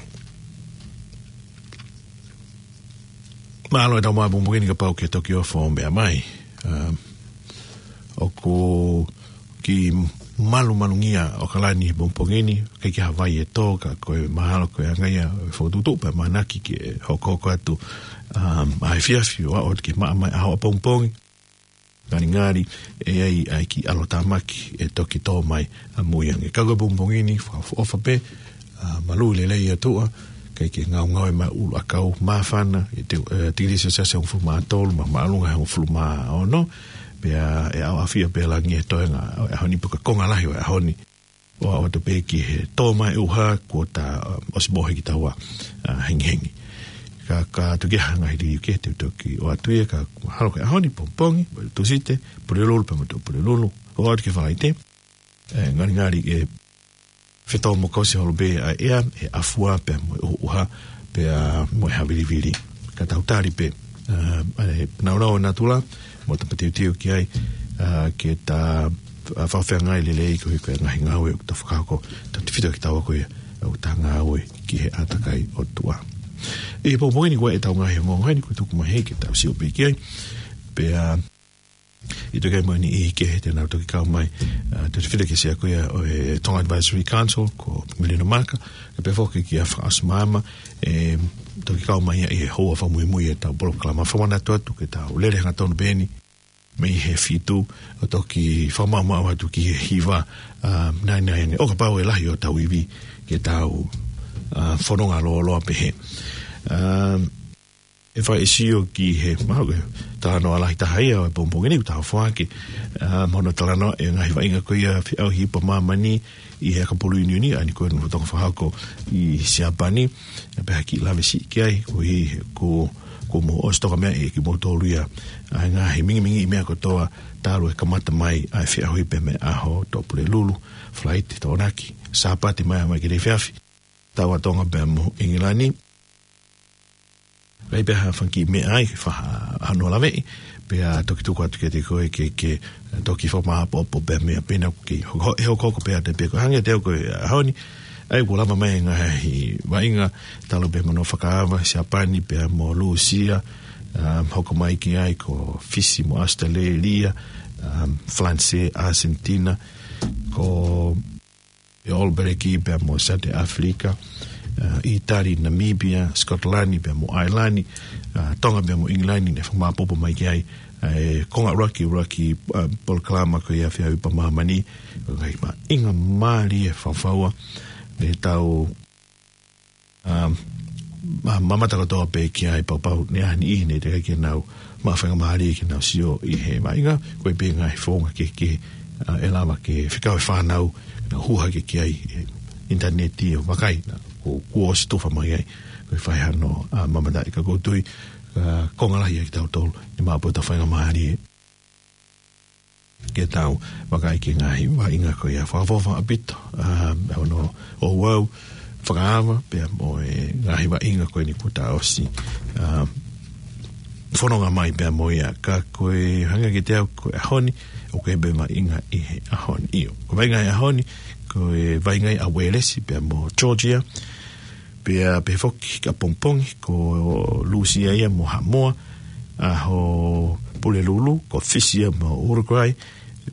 mahalo ʻetau maʻu pongipongi ni kapau ʻoku ke toki ʻofa ʻo meʻa mai. Um, ʻoku kiʻi malumalu ngia ʻOkalani he pongipongi ni, ʻikai ke ʻi ai ha vai ʻe tō, ka ko e mahalo ko e anga ia ʻo e fokotuʻutuʻu pea mānaki ke hokohoko atu, um, ʻa e efiafi ʻo aʻu atu ki he maʻa mai ʻaho ʻapongipongi. Ngalingali ʻe ʻi ai ʻa e kiʻi ʻalotāmaki ʻe toki tō mai ʻamui ange. Ka ko e pongipongi ni, fakaʻofoʻofa pē, ʻa, malū lelei atu ā, ʻikai ke ngaungaue mai ʻulu ʻakau, māfana, ʻe te, ʻe, tikilī selesiasi hongofulu mā tolu, ma, māʻolunga hongofulu mā ono, pea ʻe ʻaoʻafia pē langi he toenga ʻo e ʻaho ni pe ko e konga lahi ʻo e ʻaho ni. ʻO aʻu atu pē ki he tō mai ʻuha kuo ta, ʻa, ʻosi mohe kitaua, ʻa, hengihengi. Ka, ka tuku ke hanga hili uke te u toki ʻoatu ia, ka mahalo ko e ʻaho ni pongipongi, mo e Tūsite, Pulelulu pea mo Tuʻapulelulu, ʻo aʻu atu ki he Falaite, ʻe, ngalingali ʻe fetōmokausi holo pē ʻa e ʻea, ʻe ʻafua pea mo e ʻuha, pea mo e havilivili. Ka tau tali pē, ʻa, ʻa e naunau ʻo natula, mo ta mateuteu ki ai, ʻa, ke ta, ʻa, fakafeangai lelei koeʻuhi ko e ngaahi ngāue ʻoku ta fakahoko, tautefito kitaua ko ia ʻoku ta ngāue ki he ʻātakai ʻo e ʻOtua. ʻI he pongipongi ni ko e ʻetau ngaahi ongoongo ni kuo tuku mai heni ke tau sio pē ki ai. Pea ʻi he tuku mai ni ʻi he kehe te nau toki kau mai, ʻa, tautefito ki he sea ko ia ʻo e Tonga Advisory Council, ko Melina Maka, ʻe pehē foki kia Fakaʻosi Maama, ʻe toki kau mai ia ʻi he houa fakamuimui ʻetau polokalama. Fakamanatu atu ke tau lele hangatonu pē eni mei he fitu ʻo toki fakamaʻumaʻu atu ki he hiva, ʻa, nai nai ange. ʻO kapau ʻe lahi hotau ivi ke tau, ʻa, fononga lōloa pehē. ʻA, ʻe fai e sio ki he, mahalo ko e talanoa lahi taha ia ʻo e pongipongi ni ʻoku tau foaki, ʻa, mo hono talanoa e ngaahi vaʻinga ko ia feʻauhi ipu ʻa māmani ʻi he ʻakapulu ʻiuniʻiuni, ʻa eni ko e nofo Tonga fakahoko ʻi Siapani, ʻe pehē ha kiʻi lave siʻi ki ai, koeʻuhi ko, ko mo ʻosi toka meʻa ʻe kimoutolu ia, ʻa e ngaahi mingimingiʻi meʻa kotoa talu e kamata mai ʻa e feʻauhi pea mei he ʻaho Tuʻapulelulu, Falaite, Tokonaki, Sāpate mai, mai ki he efiafi, taua ʻa Tonga pea mo ʻIngilani. ʻIkai pē ha fanga kiʻi meʻa ai, fa-, hano laveʻi, pea toki tuku atu kiate koe ke, ke toki fakamāʻopoʻopo pea meʻa pē naʻa ke ho-, ho-, ʻe hokohoko pē ʻa e pē ko e hangē te u ko e ʻaho ni, ʻa ia kuo lava mai e ngaahi vaʻinga, talu pē mo hono fakaava Siapani pea mo Lūsia, um, hoko mai ki ai ko Fisi mo ʻAositelēlia, um, Falanisē, ʻAsentina, ko e ʻAlo Pēliki pea mo South Africa, ʻa, ʻItali, Namibia, Scotland pea mo ʻAilani, ʻa, Tonga pea mo ʻIngilani, naʻe fakamāʻopoʻopo mai ki ai, ʻa, e konga ʻuluaki, ʻuluaki, ʻa, polokalama ko ia feʻauhi ipu ʻa māmani, ko e ngaahi vaʻinga mālie fakafaua, ne tau, ʻa, ma-, mamata kotoa pē ki ai, pea pau ne ʻi ai ha niʻihi ne teʻeki ke nau maʻu faingamālie ke nau sio ʻi he vaʻinga, ko e pē ngaahi founga kehekehe, ʻa, ʻe lava ke fekau e fānau, nau hū hake ki ai, ʻi he ʻinitaneti ʻo vakai, naʻa kuo, kuo ʻosi tufa mai ai, ko e fai hano, ʻa, mamataʻi ka ʻoku ou tui, ʻa, konga lahi ʻiate kitautolu, ʻe maʻu pē hotau faingamālie ke tau vakai ki he ngaahi vaʻinga ko ia. Fakaʻofoʻofa ʻaupito, ʻa, ʻa hono ouau fakaava, pea mo e ngaahi vaʻinga ko eni kuo ta ʻosi, ʻa, fononga mai pea mo ia. Ka ko e hangē kiate au ko e ʻaho ni, ʻoku ʻi ai pē vaʻinga ʻi he ʻaho ni. ʻIo, ko e vaʻinga ʻi he ʻaho ni, ko e vaʻinga ʻa Uēlesi pea mo Georgia, pea pehē foki ki ʻapongipongi, ko Lūsia ia mo Haʻamoa, ʻaho Pulelulu, ko Fisi ia mo Uruguay,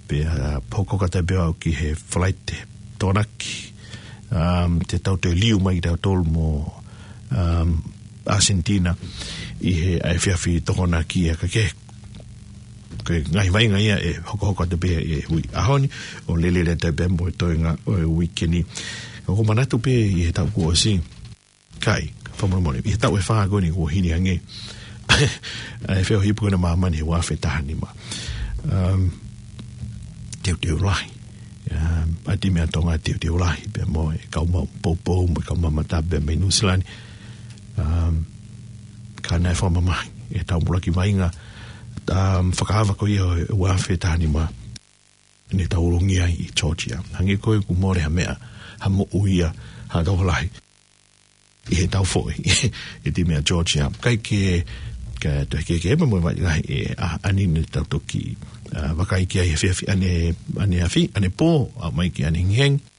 pea hokohoko atu pē au ki he Falaite, Tokonaki, um, te tau toe liu mai kitautolu mo, um, ʻAsentina ʻi he efiafi Tokonaki ia ka ke ko e ngaahi vaʻinga ia ʻe hokohoko atu pē he ʻaho ni, ʻo lele atu pē mo e toenga ʻo e uike ni. ʻOku ou manatu pē ʻi he taʻu kuo ʻosi, kai, fakamolemole, ʻi he taʻu ʻe fā ko eni kuo hili ange ʻa e feʻauhi ipu ko ena ʻa māmani he ua afe taha nima. Um, teuteu lahi. Um, ʻa e timi ʻa Tonga teuteu lahi, pea mo e kau maʻu poupou, mo e kau mamata pea mei Nuʻusila ni. Um, ka naʻe fakamamahi ʻetau mulaki vaʻinga, um, fakaava ko ia ʻo e ua afe taha nima, ne tau ulungia ai ʻi Georgia. Hangē ko ē kuo mole ha meʻa, ha moʻui ia, ha tokolahi ʻi heʻetau foʻi ʻi he timi ʻa Georgia. Kae kehe, ka toe kehekehe pē mo e vaʻinga ʻe, ʻa, ʻaneafi ne tau toki, ʻa, vakai ki ai he efiafi ʻane, ʻaneafi, ʻanepō, ʻaʻu mai ki ʻanehengihengi.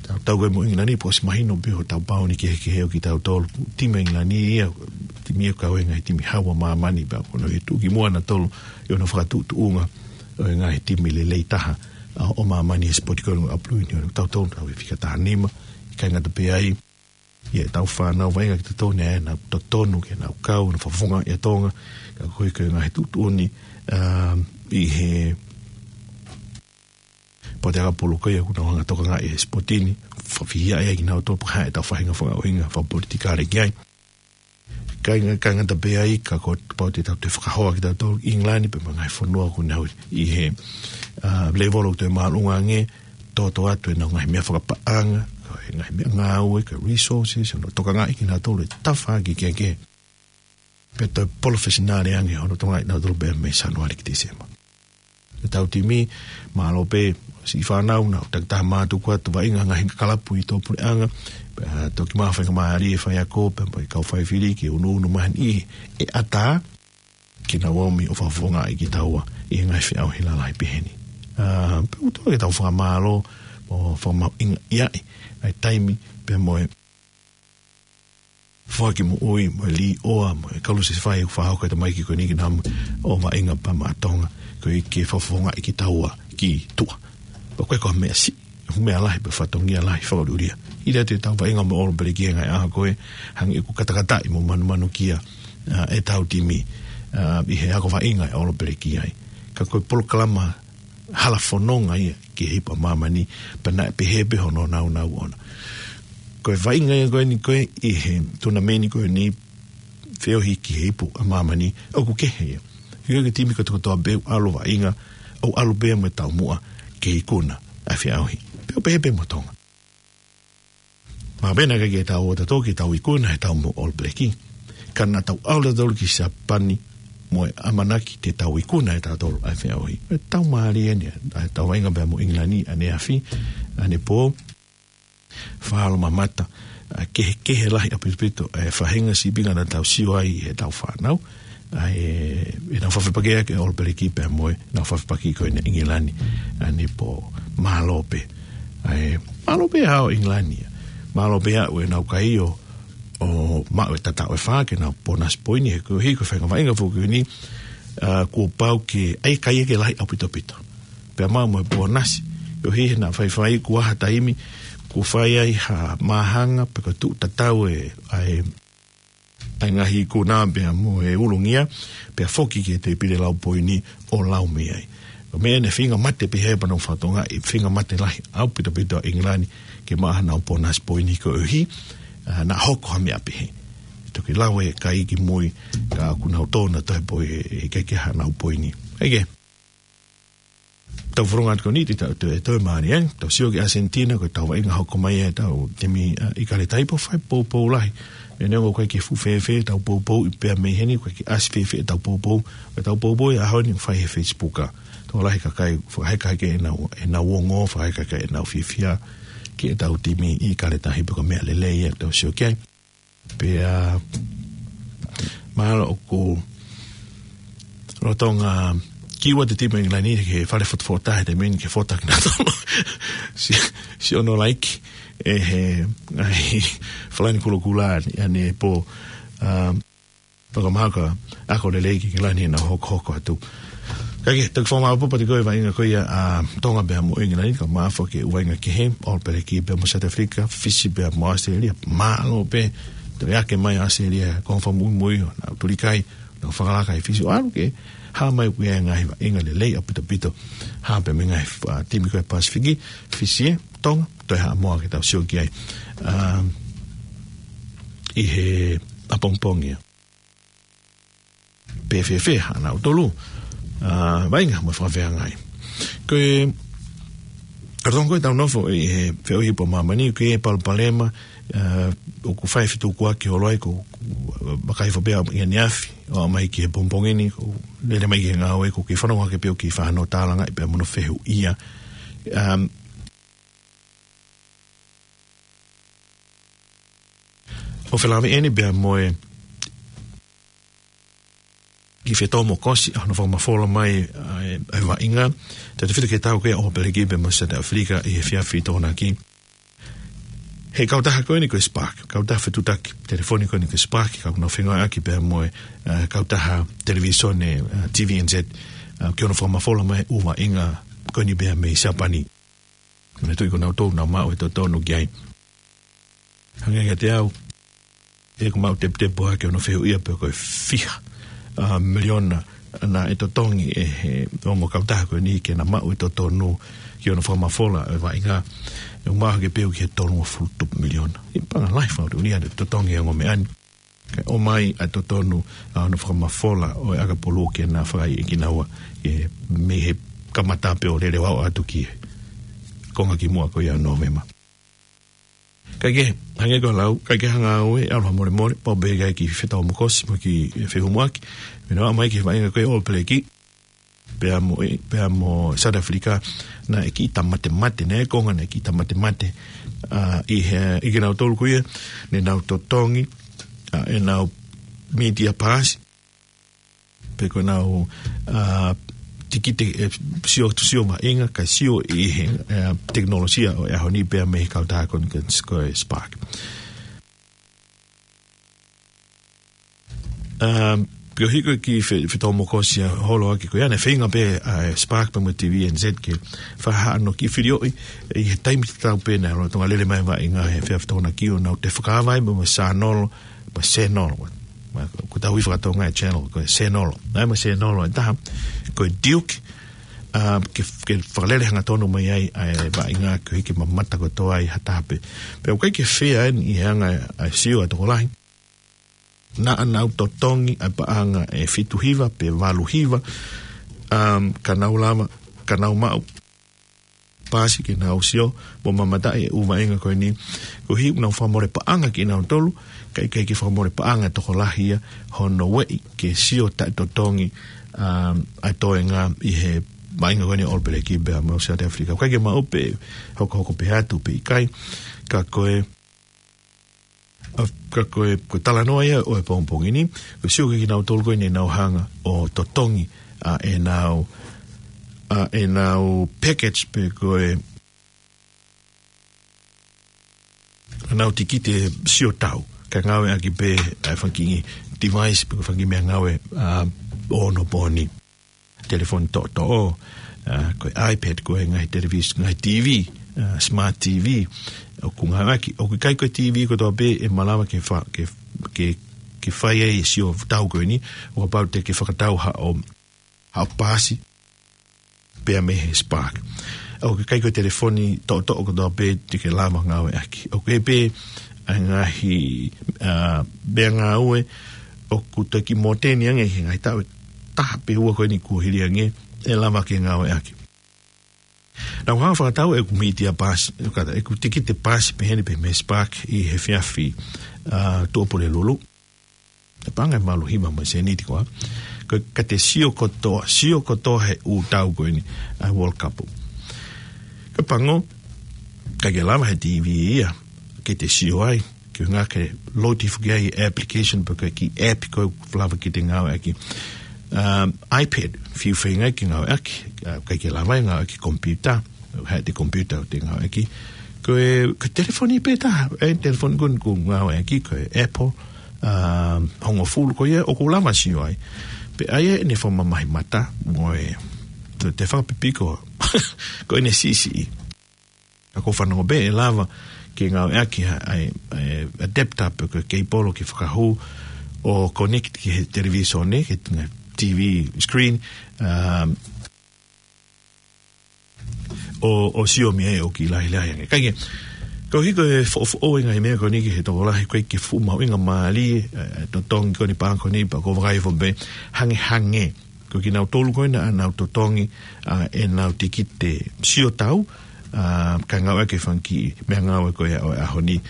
Tau, tau ko ē mo ʻIngilani, pea ʻosi mahino pē hotau paoni kehekehe ʻo kitautolu. Timi ʻa ʻIngilani ia, timi ia ʻoku kau he ngaahi timi hau ʻa māmani, pea ko hono ʻi tuʻu ki muʻa nautolu ʻi hono fakatuʻutuʻunga ʻo e ngaahi timi lelei taha ʻa, ʻo māmani he sipoti ko ē ʻa e ʻApulu Union. Tautolu tau ʻi he fika taha nima, ʻikai ngata pē ai, ʻi heʻetau fānau vaʻinga kitautolu, naʻa nau totonu ke nau kau, nau fakafofongaʻi ʻa Tonga, ka ko e, ko e ngaahi tuʻutuʻuni, um, ʻi he poteaka pulu ko ia ʻoku nau hanga ʻo tokangaʻi e sipoti ni, fakafihiaʻi ai kinautolu pea haʻu ʻetau faʻahinga fakaʻuhinga fakapolitikale ki ai. ʻIkai nga-, ʻikai ngata pē ai ka kuo pau te tau toe fakahoa kitautolu ʻi ʻIngilani pea mo e ngaahi fonua ʻoku nau ʻi he, ʻa, lēvolo ʻoku toe māʻolunga ange, toto atu ʻenau ngaahi meʻa fakapaʻanga, ko e ngaahi meʻangāue, ko e resources, hono tokangaʻi kinautolu he tafaʻaki kehekehe. Pea toe palofesinale ange hono tokangaʻi kinautolu pea mei Sānuali ki Tīsema. ʻEtau timi, mālō pē, siʻi fānau, nau takitaha mātuku atu vaʻinga ngaahi kalapu ʻi tuʻapuleʻanga, pea toki maʻu ha faingamālie ʻe he faiako, pea mo e kau faifili ke unuunu mai ʻi he ʻatā, ke nau ō mai ʻo fakafofongaʻi kitaua ʻi he ngaahi feʻauhi lalahi pehē ni. ʻA, pea ʻoku totonu ke tau fakamālō, mo fakamahuʻingaʻi ʻa e taimi, pea mo e foaki moʻui, mo e līʻoa, mo e kalusefai ʻoku fakahoko ʻe he tamaiki ko eni ke nau ō mai ʻo vaʻinga pea maʻa Tonga, koeʻuhi ke fakafofongaʻi kitaua ki tuʻa. Pea ko e ko e meʻa siʻi, ʻoku meʻa lahi, pea fatongia lahi, fakaʻuliʻulia. ʻIlo atu ʻetau vaʻinga mo e ʻAlo Peleki he ngaahi ʻaho ko ē, hangē ʻoku katakataʻi mo manumanukia, ʻa, ʻetau timi, ʻa, ʻi he ako vaʻinga ʻa e ʻAlo Peleki ai. Ka ko e polokalama hala fononga ia ki he ipu ʻa māmani, pea naʻe pehē pē hono nāunau ʻona. Ko e vaʻinga ia ko eni ko ē ʻi he tunameni ko eni feohi ki he ipu ʻa māmani, ʻoku kehe ia. ʻIo, ko e timi kotokotoa pē ʻoku ʻalu vaʻinga, ʻoku ʻalu pē mo e taumuʻa ke ikuna ʻa e feʻauhi. Pea ʻoku pehē pē mo Tonga. Mahalo pē naʻe ʻikai ke tau ō tautolu ke tau ikuna heʻetau moʻui All Black. Ka naʻa tau ʻalu tautolu ki Siapani mo e ʻamanaki te tau ikuna ʻe tautolu ʻa e feʻauhi. ʻE tau mālie eni, ʻa ʻetau vaʻinga pea mo ʻIngilani ʻaneafi, ʻanepō, fakamālō mamata, ʻa e kehekehe lahi ʻaupito ʻa e faʻahinga sīpinga naʻa tau sio ai heʻetau fānau, ʻa e, ʻenau fakafepakiʻaki ʻa e All Black pea mo ʻenau fakafepaki ko eni ʻa ʻIngilani, ʻanepō, mālō pē. ʻA e, mālō pē ʻa ʻIngilani. Mālō pē ʻa ʻenau kai ʻo, ʻo maʻu e tataʻo ʻe fā ke nau ponasi poini he ko e hiko fainga vaʻinga foki eni, ʻa, kuo pau ke ʻai kai ke lahi ʻaupito ʻaupito. Pea maʻu mo e ponasi, ʻo hili naʻa faifai kuo ʻi ai ha taimi, kuo fai ai ha māhanga, pe ko e tuʻu tatau e, ʻa e, ʻa e ngaahi ikuna pea mo e ulungia, pea foki ki he tēpile lau poini ʻo lau mei ai. Ko e meʻa naʻe feinga mate pē he pānau fatongia, ʻi he feinga mate lahi ʻaupito ʻaupito ʻa ʻIngilani, ke maʻu haʻanau ponasi poini koeʻuhi, ʻa, naʻa hoko ha meʻa pehē. Toki lau e kai ki mui, ka ʻoku nau tō nautolu he pō ʻe, ʻe ʻikai ke ʻi ai haʻanau poini. ʻIkai ke. Tau fofonga atu ko eni, te tau toe, toe mālie, ʻa, tau sio ki Argentina, ko ʻetau vaʻinga hoko mai ʻetau timi, ʻa, ʻIkale Tahi pea fai poupou lahi. Meʻa neongo ʻoku ʻikai ke fuʻu fēfē ʻetau poupou ʻi pea mei heni, ʻoku ʻikai ke ʻasi fēfē ʻetau poupou. ʻEtau poupou ʻi he ʻaho ni ʻoku fai he Facebook ʻa. Tokolahi e kakai, fakaheka hake ʻenau, ʻenau ongo, fakaheka hake ʻenau fiefia ki heʻetau timi ʻIkale Tahi pea ko e meʻa lelei ia ke tau sio ki ai. Pea, mahalo ʻoku lolotonga kiʻi ua e timi ʻa ʻIngilani he fale fotofota he taimi ni ke fota kinautolu. Si, siʻono laiki ʻe he ngaahi falani kulokula ʻane, ʻanepō, ʻa, pea ka mahalo ka ako lelei ki ʻIngilani ʻenau hokohoko atu. Kae kehe, toki fakamālō pē atu ki he vaʻinga ko ia ʻa Tonga pea mo ʻIngilani, ka mahalo foki e ʻū vaʻinga kehe, All Black pea mo South Africa, Fisi pea mo Australia, mālō pē, toe ake mai Australia, ko e fakamuimui ʻo ʻenau tuli kai, nau fakalaka ʻi Fisi ʻo ʻalu ke, hā mai ko e ngaahi vaʻinga lelei ʻaupito ʻaupito, hā pē mei he ngaahi, ʻa, timi ko ē Pasifiki, Fisi ē, Tonga, toe Haʻamoa ke tau sio ki ai. ʻA, ʻi he ʻapongipongi ia. Pe fēfē haʻanautolu, ʻa, vaʻinga mo e fakafeangai. Ko e, ka tongo ʻetau nofo ʻi he feʻauhi ipu ʻa māmani, ko e palopalema, ʻA, ʻoku fai fetukuaki holo ai, ko, ko, vakai fo pea ia ni afi, ʻo mai ki he pongipongi ni, ko, lele mai ki he ngāue, ko ki fanongo hake pē ʻo ki fano tālanga, pea mo hono fehuʻia. Um, ʻo felāveʻi eni pea mo e kiʻi fetōmokosi, ʻa hono fakamafola mai, ʻa e, ʻa e vaʻinga. Tautefito ki he tau ko ia ʻo ʻAupeleki pea mo South Africa ʻi he efiafi Tokonaki. He kautaha ko eni ko e Spark, kautaha fetuʻutaki telefoni ko eni ko e Spark, ka ʻoku nau fengāueʻaki pea mo e, ʻa, kautaha televīsone, ʻa, T V N Z, ʻa, ki hono fakamafola mai ʻū vaʻinga ko eni pea mei Siapani. Ko e meʻa ʻoku ʻi ai ko nautolu naʻa nau maʻu e totonu ki ai. Hangē kiate au, ʻoku mau teputepu hake hono fehuʻia pe ko e fiha, ʻa, miliona naʻe totongi ʻe he ongo kautaha ko eni ke na maʻu e totonu ki hono fakamafola e vaʻinga. ʻOku mau hake pē ʻo ki he tolungofulu tupu miliona. ʻI panga lahi fau tu ni ʻa e totongi e ongo meʻa ni. Kae ʻomai ʻa e totonu ʻa hono fakamafola ʻo e ʻakapulu ke na fai ʻe kinaua, ʻe mei he kamata pē ʻo lele ʻo aʻu atu ki he konga kimuʻa ko ia ʻo Nōvema. Kae kehe, hangē ko e lau, kae kehe hanga au ʻe ʻalu ha molemole, pau pē ke ʻai ke fetōmokosi mo ke fehumuʻaki, mei he ʻomai ki he vaʻinga ko ia ʻo ʻAupeleki, pea mo e, pea mo South Africa, naʻe kiʻi tāmatemate, naʻe konga naʻe kiʻi tāmatemate, ʻa, ʻi he, ʻi kinautolu ko ia, ne nau totongi, ʻa, ʻenau media pass, pe ko ʻenau, ʻa, tikite, ʻe, sio, sio vaʻinga, kae sio ʻi he, ʻa, tekinolosia ʻo e ʻaho ni pea mei he kautaha ko eni ko e Spark. Um, ko e hiko ki fe-, fetōmokosi ʻa holo ʻaki ko ia naʻe feinga pē ʻa e Spark pea mo e T V N Z ke fakahā ʻenau kiʻi filioʻi ʻi he taimi tatau pē naʻe lolotonga lele mai e vaʻinga he efiafi Tokonaki ʻo nau toe fakaava ai mo e sānolo, mo e sēnolo. Ma, ko tau ui faka-Tonga e channel, ko e sēnolo. Naʻe mo e sēnolo ʻe taha, ko e Duke, um, ke, ke fakalele hangatonu mai ai ʻa e vaʻinga ko e hiki mamata kotoa ai ha taha pē. Pea ʻoku ʻikai ke fea eni ʻi he anga ʻa e sio ʻa e tokolahi. Naʻa nau totongi ʻa e paʻanga ʻe fitu hiva pe valu hiva, um, ka nau lava, ka nau maʻu paasi ke nau sio mo mamataʻi e ʻū vaʻinga ko eni. Ko e hā ʻenau fakamole paʻanga kinautolu, kae ʻikai ke fakamole paʻanga e tokolahi ia hono ueʻi ke sio taʻetotongi, um, ʻa e toenga ʻi he vaʻinga ko eni ʻo ʻAupeleki pea mo South Africa. ʻOku ʻikai ke maʻu pe hokohoko pē atu pe ʻikai, ka ko e ʻA, ka ko e, ko e talanoa ia ʻo e pongipongi ni, ko e sio ki kinautolu ko eni naʻa nau hanga ʻo totongi, ʻa, ʻenau, ʻa, ʻenau package pe ko e, ʻenau tikite sio tau, kae ngāueʻaki pē ʻa e fanga kiʻi device pe ko e fanga kiʻi meʻangāue, ʻa, ʻo onopooni. Telefoni toʻotoʻo, ʻa, ko e iPad, ko e ngaahi televis-, ngaahi T V, ʻa, smart T V, ʻoku ngāueʻaki, ʻoku ʻikai ko e T V kotoa pē ʻe malava ke fa-, ke, ke, ke fai ai e sio tau ko eni, ʻo kapau te ke fakatau haʻo, haʻo paasi, pea mei he Spark. ʻOku ʻikai ko e telefoni toʻotoʻo kotoa pē te ke lava ngāueʻaki. ʻOku ʻi ai pē ʻa e ngaahi, ʻa, meʻangāue ʻoku toki mōteni ange he ngaahi taʻu ʻe taha pe ua ko eni kuo hili ange ʻe lava ke ngāueʻaki. Naʻa ku hanga fakatau ʻeku media pass, ʻeku kata, ʻeku tikite paasi peheni pē mei he Spark ʻi he efiafi, ʻa, Tuʻapulelulu. ʻE paʻanga ʻe valu hiva mo e sēniti koā. Ko e ka te sio kotoa, sio kotoa he ʻū tau ko eni, ʻa e World Cup. Ko e pango, ʻikai ke lava he T V ia, ke te sio ai, ke ngā ke load foki ai e application pe ko e kiʻi app ko ē ʻoku lava ke te ngāueʻaki. Um, iPad, fiu feinga ke ngāueʻaki, ʻa, ʻikai ke lava ʻe ngāueʻaki computer, he te computer ʻoku te ngāueʻaki. Ko e, ko e telefoni pē taha, e telefoni ko eni ʻoku ngāueʻaki, ko e Apple, um, hongofulu ko ia, ʻoku lava sio ai. Pea ʻi ai ʻene fakamamahi mata, mo e, te, te fakapipiko, ko ʻene siʻisiʻi. Ka ʻoku ou fanongo pē ʻe lava ke ngāueʻaki ha, ʻa e, ʻa e adapter pe ko e keipolo ke fakahū ʻo connect ki he televīsone, ki he T V screen, um, ʻo, ʻo sio mei ai ʻoku kiʻi lahilahi ange. Kae kehe, ko e hiko e foʻofoʻou e ngaahi meʻa ko eni ki he tokolahi, ʻoku ʻikai ke fuʻu mahuʻinga mālie, ʻa e, ʻa e totongi ko eni paʻanga ko eni pea ʻoku ou vakai hifo pē hangehangē. Ko kinautolu ko ē naʻa nau totongi, ʻa, ʻenau tikite sio tau, ʻa, kae ngāueʻaki e fanga kiʻi meʻangāue ko ia ʻo e ʻaho ni.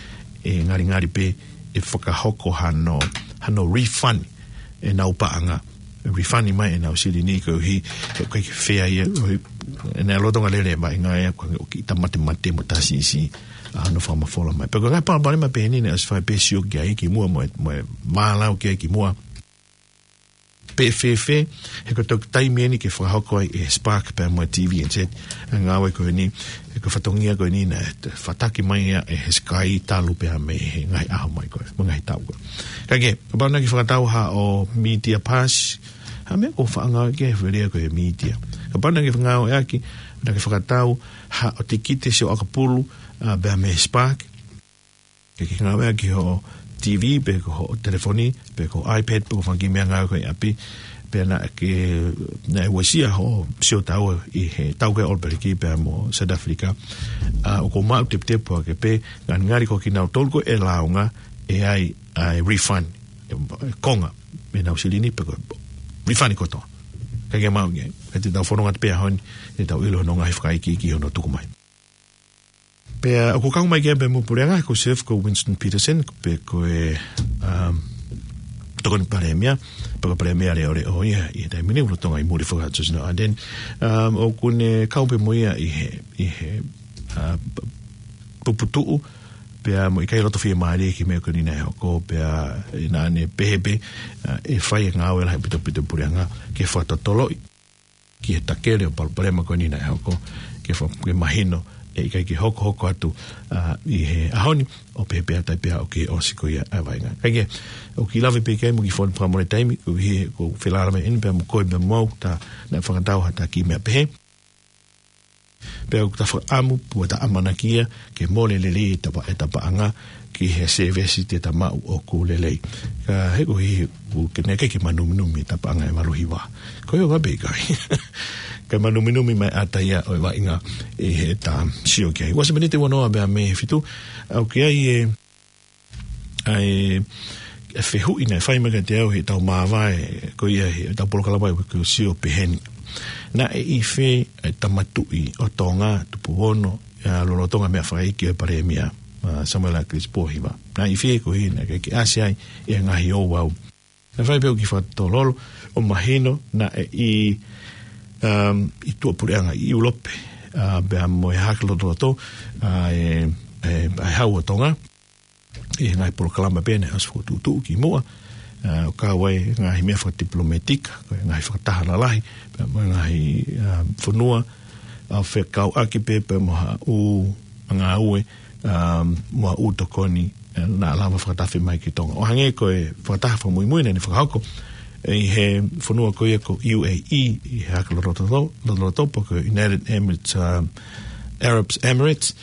ʻe ngalingali pē ʻe fakahoko hano, hano refund ʻenau paʻanga. Refund mai ʻenau silini koeʻuhi, he ʻoku ʻikai ke fea ia, ʻoku ʻi ai e lolotonga lele mai ngā ia, ko e ʻoku ʻi ai e matemate mo e tasi ʻi si, ʻa hano fakamafola mai. Pea ko e ngaahi palopalema pehē ni naʻe ʻosi fai pē sio ki ai kimuʻa mo e, mo e mālōlō ki ai kimuʻa. Pe fēfē, he ko e toki taimi eni ke fakahoko ai ʻe Spark pea mo e T V N Z ʻa e ngāue ko eni, he ko e fatongia ko eni naʻe fataki mai ia ʻe he Sky talu pea mei he ngaahi ʻaho mai ko ē, mo e ngaahi taʻu ko ē. Ka ke, kapau naʻa ke fakatau haʻo media pass, ha meʻa ʻoku faʻa ngāueʻaki he fili ko e media. Kapau naʻa ke ngāueʻaki, naʻa ke fakatau haʻo tikite sio ʻakapulu, ʻa, pea mei he Spark, ke ke ngāueʻaki hoʻo T V, pe ko hoʻo telefoni, pe ko e iPad, pe ko e fanga kiʻi meʻa ngāue ko ē ʻi ʻapi, pea naʻa ke, naʻe uesia hoʻo sio taua ʻi he taʻu ko ē ʻo e ʻOlopeliki pea mo South Africa. ʻA, ʻoku ou maʻu teputepu ʻa ke pē, ngalingali ko kinautolu ko ē ʻe lāunga, ʻe ʻi ai ʻa e refund, ʻe, ʻe konga, mei heʻenau silini pe ko e refund kotoa. Ka ke maʻu ke, ka te tau fononga pē ʻaho ni, te tau ʻilo hono ngaahi fakaikiiki hono tuku mai. Pea ʻoku kau mai ki ai pea mo e puleʻanga, ko e Sir, ko Winston Peterson, pe ko e, um, tokoni palēmia, pe ko e palēmia leʻoleʻo ia, ʻi he taimi ni lolotonga ʻi muli faka-Tonga Ardern. Um, ʻoku ne kau pē mo ia ʻi he, ʻi he, uh, p-, puputuʻu, pea mo e ʻikai loto fiemālie ki he meʻa ko eni naʻe hoko, pea ʻi he naʻa ne pehē pē, uh, ʻe fai e ngāue lahi ʻaupito ʻaupito puleʻanga, ke fakatotoloʻi ki he takele ʻo e palopalema ko eni naʻe hoko, ke fa-, ke mahino ʻe ʻikai ke hokohoko atu, ʻa, ʻi he ʻaho ni, ʻo pehē pē ʻa e taimi pē ʻoku ʻosi ko ia ʻa e vaʻinga. Ka ke, ʻoku ou lave pē ki ai mo e kiʻi fono fakamole taimi, koeʻuhi he ʻoku ou felālāveʻi eni pea mo koe pea mo au, tā naʻe fakatau ha tā kiʻi meʻa pehē. Pea ʻoku ta fakaʻamu, pea ta ʻamanaki ia, ke mole lelei ʻeta pa-, ʻeta paʻanga, ki he sēvesi te ta maʻu ʻoku lelei. Ka he koeʻuhi, ʻoku ke ne ke ke manuminumi ʻeta paʻanga ʻe valu hiva. Ko ia ʻoku pehē ʻikai. Ka manuminumi mai ʻa e taimi ʻo e vaʻinga ʻi heʻeta sio ki ai. Ua miniti ua noa pea mei he fitu, ʻoku ʻi ai e, ʻa e, e fehuʻi naʻe fai mai kiate au heʻetau māvae, ko ia heʻetau polokalama ʻi he ko e sio pehē ni. Naʻe ʻi fē e tama tuʻi ʻo Tonga, tupu ono, ʻa, lolotonga e meʻa fakaiki ʻo e palēmia, ʻa, Samuela ʻAkilisi Pōhiva. Naʻe ʻi fē koeʻuhi naʻe ʻikai ke ʻasi ai e ngaahi ouau. Naʻe fai pē ʻo kiʻi fakatololo, ʻo mahino naʻe ʻi, um, ʻi tuʻapuleʻanga ʻi ʻIulope, ʻa, pea mo e Hahake Lotoloto, ʻa, e, e, ʻa e Hau ʻo Tonga, ʻi he ngaahi polokalama pē naʻe ʻosi fokotuʻutuʻu kimuʻa, ʻa, ʻo kau ai e ngaahi meʻa fakatipilōmētika, ko e ngaahi fakataha lalahi, pea mo e ngaahi, ʻa, fonua, ʻa, fekauʻaki pē, pea mo ha ʻū ngāue, ʻa, mo ha ʻū tokoni, ʻa, naʻa lava fakatafe mai ki Tonga. ʻO hangē ko e fakataha fakamuimui naʻa ne fakahoko, ʻi he fonua ko ia ko e U A E, ʻi he Hahake Lotoloto, Lotoloto pe ko e United Emirates, ʻa, Arab Emirates,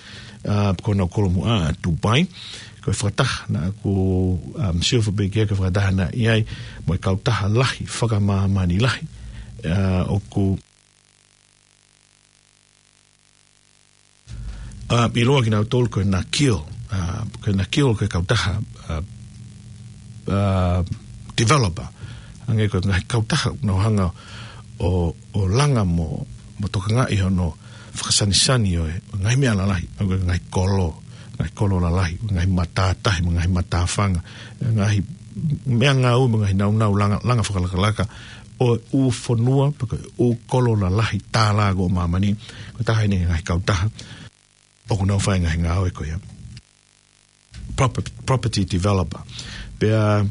ʻa, ko honau kolomuʻa ʻa Dubai. Ko e fakataha naʻa ku, um, sio fakapekia ko e fakataha naʻe ʻi ai mo e kautaha lahi, fakamāmani lahi, ʻa, ʻoku, ʻa, ʻiloa kinautolu ko e Nakheel, ʻa, ko e Nakheel ko e kautaha, ʻa, ʻa, developer. Hangē ko e ngaahi kautaha naʻa nau hanga ʻo, ʻo langa mo, mo tokangaʻi hono fakasanisani ʻo e ngaahi meʻa lalahi, ʻa, ko e ngaahi kolo, ngaahi kolo lalahi, ngaahi matātahi, mo e ngaahi matāfanga, ngaahi meʻangāue, mo e ngaahi naunau langa, langa fakalakalaka ʻo e ʻū fonua, pe ko e ʻū kolo lalahi tālā ʻo māmani, ko e taha eni e ngaahi kautaha ʻoku nau fai e ngaahi ngāue ko ia. Proper-, property developer. Pea,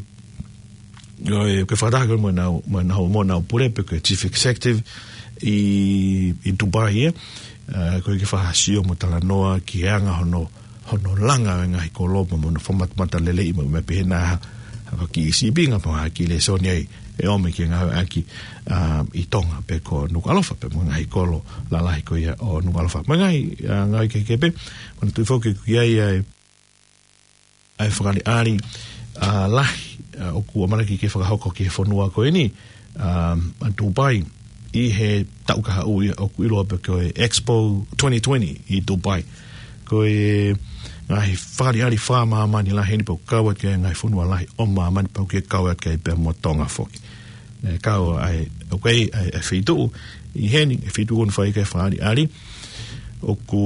ʻo e, ko e fakataha ko ē mo ʻenau, mo ʻenau, mo ʻenau pule pe ko e chief executive ʻi, ʻi Dubai ia. ʻA, ko e kiʻi fakasio mo talanoa ki he anga hono, hono langa e ngaahi kolo mo hono fakamatamata lelei mo e meʻa pehē nā ha, ha kiʻi sīpinga pe ha kiʻi lēsoni ai ʻe ʻomi ke ngāueʻaki, ʻa, ʻi Tonga pe ko Nukuʻalofa pe mo e ngaahi kolo lalahi ko ia ʻo Nukuʻalofa. Mo e ngaahi, ʻa, ngaahi kehekehe pē, mo e tuʻu foki ki ai ʻa e, ʻa e fakaʻaliʻali, ʻa, lahi, ʻa, ʻoku ʻamanaki ke fakahoko ki he fonua ko eni, ʻa, ʻa Dubai, ʻi he taʻu kahaʻu ia ʻoku ʻiloa pe ko e Expo twenty twenty ʻi Dubai. Ko e ngaahi fakaʻaliʻali fakamāmani lahi eni pea ʻoku kau atu ki ai e ngaahi fonua lahi ʻo māmani pea ʻoku kau atu ki ai pea mo Tonga foki. ʻE kau ai, ʻoku ʻi ai, ʻa e, ʻa e feituʻu ʻi heni, e feituʻu ʻoku fai ki ai e fakaʻaliʻali, ʻoku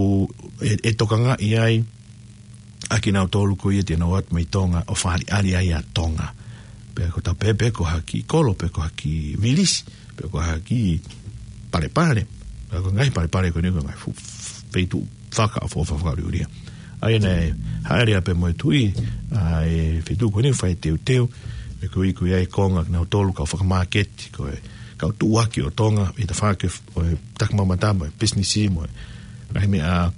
ʻe, ʻe tokangaʻi ai, ʻa kinautolu ko ia te nau ō atu mei Tonga ʻo fakaʻaliʻali ai ʻa Tonga. Pe ko Taupē, pe ko ha kiʻi kolo, pe ko ha kiʻi vilisi, pe ko ha kiʻi Palepale. Pe ko e ngaahi Palepale ko eni ko e ngaahi fu-, feituʻu fakaʻofoʻofa fakaʻuliʻulia. ʻA ia naʻe hāʻele ai pē mo e tuʻi ʻa e feituʻu ko eni ʻo fai e teuteu, ʻe ko e ʻuhinga ko ia e konga kinautolu kau fakamāketi, ko e kau tuʻuaki ʻo Tonga, ʻi he tafaʻaki ʻo e takimamata mo e pisinisi mo e ngaahi meʻa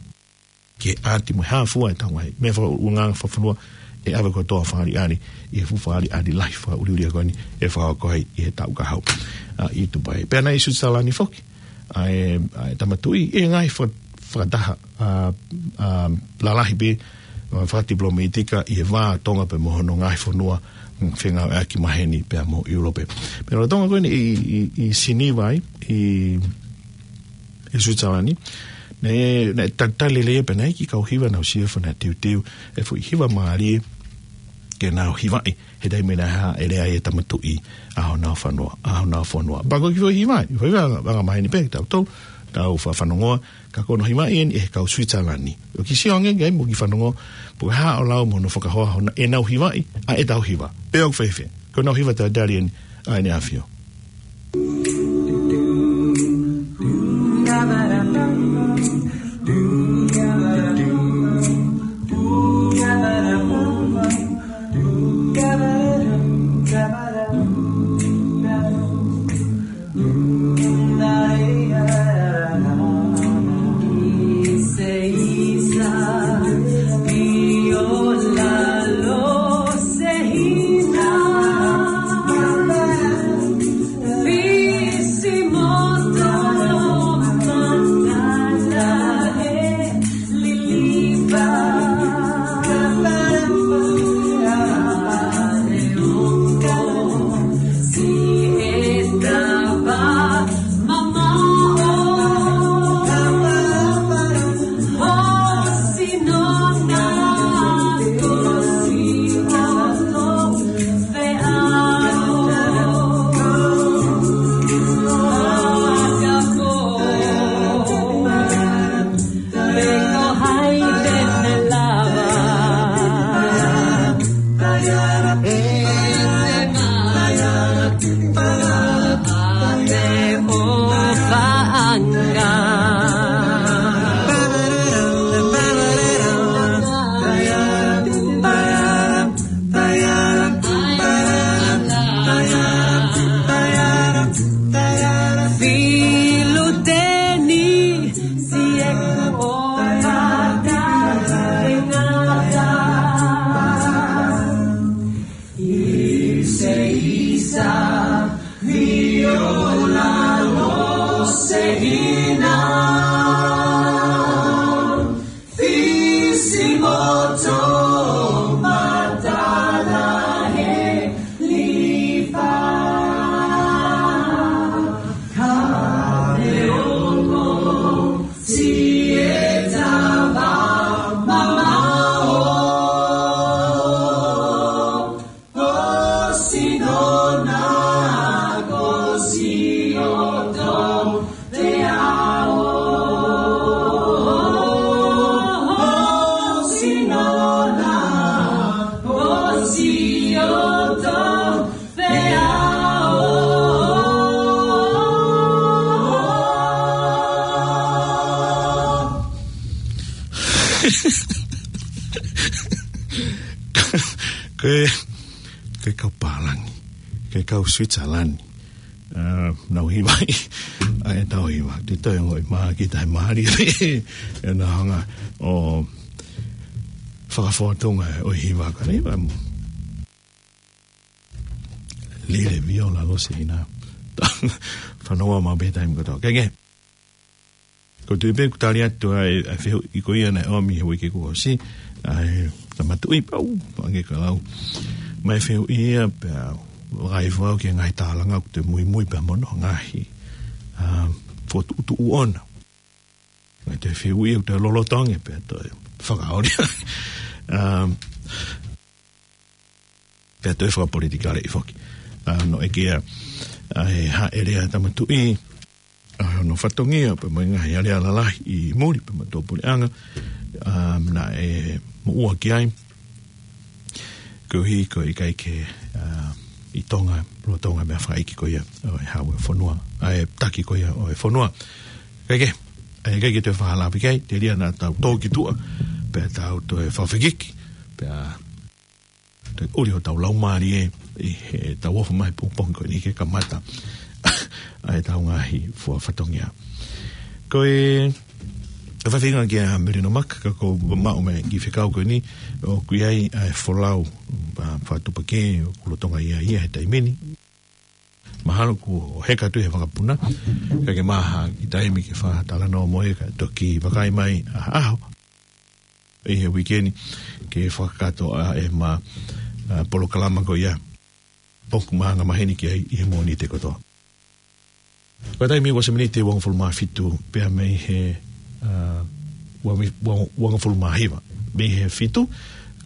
ke ʻati mo e hā fua e tau ngaahi meʻa fakaʻulungaanga fakafonua, ʻe ʻave kotoa ʻo fakaʻaliʻali ʻi he fuʻu fakaʻaliʻali lahi fakaʻuliʻulia ko eni ʻe fakahoko ai ʻi he taʻu ka hau, ʻa, ʻi Tupai. Pea naʻe ʻi Suitisalani foki ʻa e, ʻa e Tama Tuʻi ʻi he ngaahi faka-, fakataha, ʻa, ʻa, lalahi pē, ʻa, fakatipilōmētika ʻi he vā ʻo Tonga pea mo hono ngaahi fonua, mm, fengāueʻaki maheni pea mo ʻIulope. Pea lolotonga ko eni ʻi, ʻi, ʻi Siniva ai, ʻi ʻi Suitisalani. Naʻe, naʻe talitali lelei pē, naʻe ʻi ai e kiʻi kau hiva naʻa nau sio ʻofa naʻe teuteu e foʻi hiva mālie ke nau hivaʻi he taimi naʻe hāʻele ai e Tama Tuʻi ʻa honau fonua, ʻa honau fonua. Pea ko e kiʻi foʻi hiva, foʻi hiva anga, anga maheni pē, tau tau, tau fa-, fanongoa, ka ko hono hivaʻi eni ʻe he kau Suitisalani. ʻOku ke sio ange ki ai mo ke fanongo, pe ko e hā ʻo lau mo hono fakahoa hono, ʻenau hivaʻi ʻa ʻetau hiva. Pe ʻoku fēfē? Ko ʻenau hiva talitali eni ʻa ʻEne ʻAfio. Ko e, ko e kau pālangi, ko e kau Suitisalani. ʻA, nau hivaʻi ʻa ʻetau hiva. Te toe ongoʻi mai kita he mālie pē ʻena hanga ʻo fakafōtunga ʻo e hiva ka nei, ʻa, Lile Viola Losehina. Fanongo maʻu pē taimi kotoa. Ke ke. Ko e tui pē kuo tali atu ʻa e, ʻa e fehuʻi ko ia naʻe ʻomi he uike kuo ʻosi, ʻa e Tama Tuʻi pau, ange ka lau. Mai fehuʻi ia pea vakai fau ki he ngaahi tālanga ʻoku te muimui pea mo hono ngaahi, ʻa, fokotuʻutuʻu ʻoʻona. Mai te fehuʻi ʻoku te lolotonga pea toe fakaoli. ʻA, pea toe fakapolitikale ʻi foki. ʻA, naʻe ʻeke ia, ʻa, ʻe hāʻele ʻa e Tama Tuʻi, ʻa, hono fatongia, pea mo e ngaahi alea lalahi ʻi muli, pea mo e tuʻapuleʻanga. ʻa, naʻe moʻua ki ai. Koeʻuhi ko e ʻikai ke, ʻa, ʻi Tonga, lolotonga meʻa fakaʻeiki ko ia ʻo e hau ʻo e fonua, ʻa e taki ko ia ʻo e fonua. ʻIkai ke, ʻa e ʻikai ke toe fakahalaʻapi ki ai, telia naʻa tau tō ki tuʻa, pea tau toe fakafekiki, pea toe ʻuli hotau laumālie ʻi heʻetau ō mai pongipongi ko eni ke kamata ʻa ʻetau ngaahi fua fatongia. Ko e, ʻa e faifeinga kia Melino Maka, ka ʻoku ou maʻu mei he kiʻi fekau ko eni, ʻoku ʻi ai ʻa e folau, ʻa, fakatuʻupakē, ʻoku lolotonga ʻi ai ia he taimi ni. Mahalo kuo heka atu he vakapuna, ka ke maha ki taimi ke fakatalanoa mo ia ka toki vakai mai ʻa e ʻaho ʻi he uike ni ke fakakakato ʻa ʻema, ʻa, polokalama ko ia ʻoku ma anga maheni ki ai ʻi he Mōnite kotoa. Ko e taimi ua miniti ʻe uangofulu mā fitu pea mei he, ʻa, ua mi-, ua-, uangofulu mā hiva mei he fitu,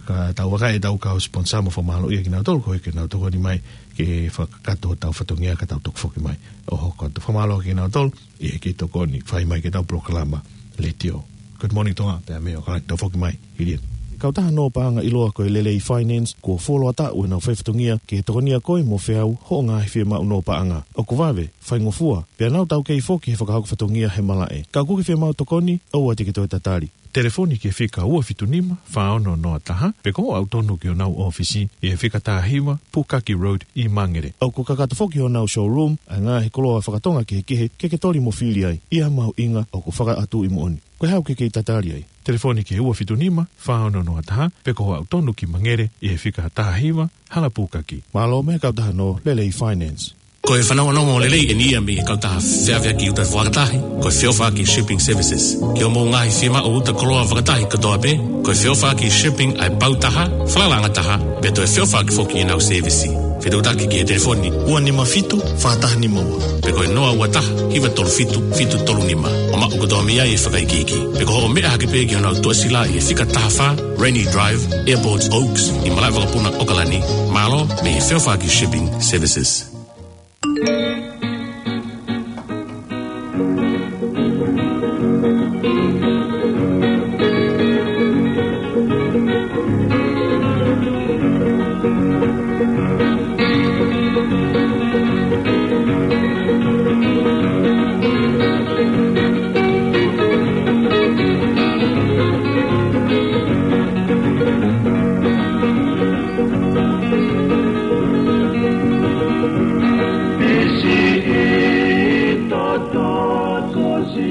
ka tau vakai ʻetau kau sponsor mo fakamālō ia kinautolu koeʻuhi ke nau tokoni mai ke fakakakato hotau fatongia ka tau toki foki mai ʻo hoko atu. Fakamālō kinautolu ʻi he kiʻi tokoni fai mai ki heʻetau polokalama letiō. Good Morning Tonga, pea mei ʻAokalani, tau foki mai hili eni. Kautaha Nō Paʻanga ʻiloa ko e Lelei Finance, kuo fuoloa taʻu ʻenau fai fatongia ke tokonia koe mo feau hoʻo ngaahi fiemaʻu nō paʻanga. ʻOku vave, faingofua, pea nau taukei foki he fakahoko fatongia he malaʻe. Ka ʻoku ke fiemaʻu tokoni, ʻoua te ke toe tatali. Telefoni ki he fika ua fitu nima, fā ono noa taha, pe ko hoʻo aʻu tonu ki honau ʻōfisi ʻi he fika taha hiva, Pukaki Road ʻi Mangere. ʻOku kakato foki honau showroom ʻa e ngaahi koloa fakatonga kehekehe ke ke toli mo fili ai. ʻI ha mahuʻinga ʻoku fakaʻatuʻi moʻoni. Ko e hā ʻoku ke kei tatali ai? Telefoni ki he ua fitu nima, fā ono noa taha, pe ko hoʻo aʻu tonu ki Mangere ʻi he fika taha hiva, Hala Pukaki. Mālō mei he kautaha Nō Lelei Finance. Ko e fanongonongo lelei eni ia mei he kautaha feʻaveʻaki uta fakatahi, ko e Feʻofaʻaki Shipping Services. Ki hoʻomou ngaahi fiemaʻu uta koloa fakatahi kotoa pē, ko e Feʻofaʻaki Shipping ʻa e pau taha, falalaʻanga taha, pea toe feʻofaʻaki foki ʻenau sēvisi. Fetuʻutaki ki he telefoni ua nima fitu, fā taha nima ua, pe ko e noa ua taha, hiva tolu fitu, fitu tolu nima. ʻO maʻu kotoa mei ai e fakaikiiki. Pe ko hoʻo meʻa hake pē ki honau tuʻasila ʻi he fika taha fā, Rainy Drive, Airport Oaks, ʻi malaʻe vakapuna ʻAokalani. Mālō mei he Feʻofaʻaki Shipping Services.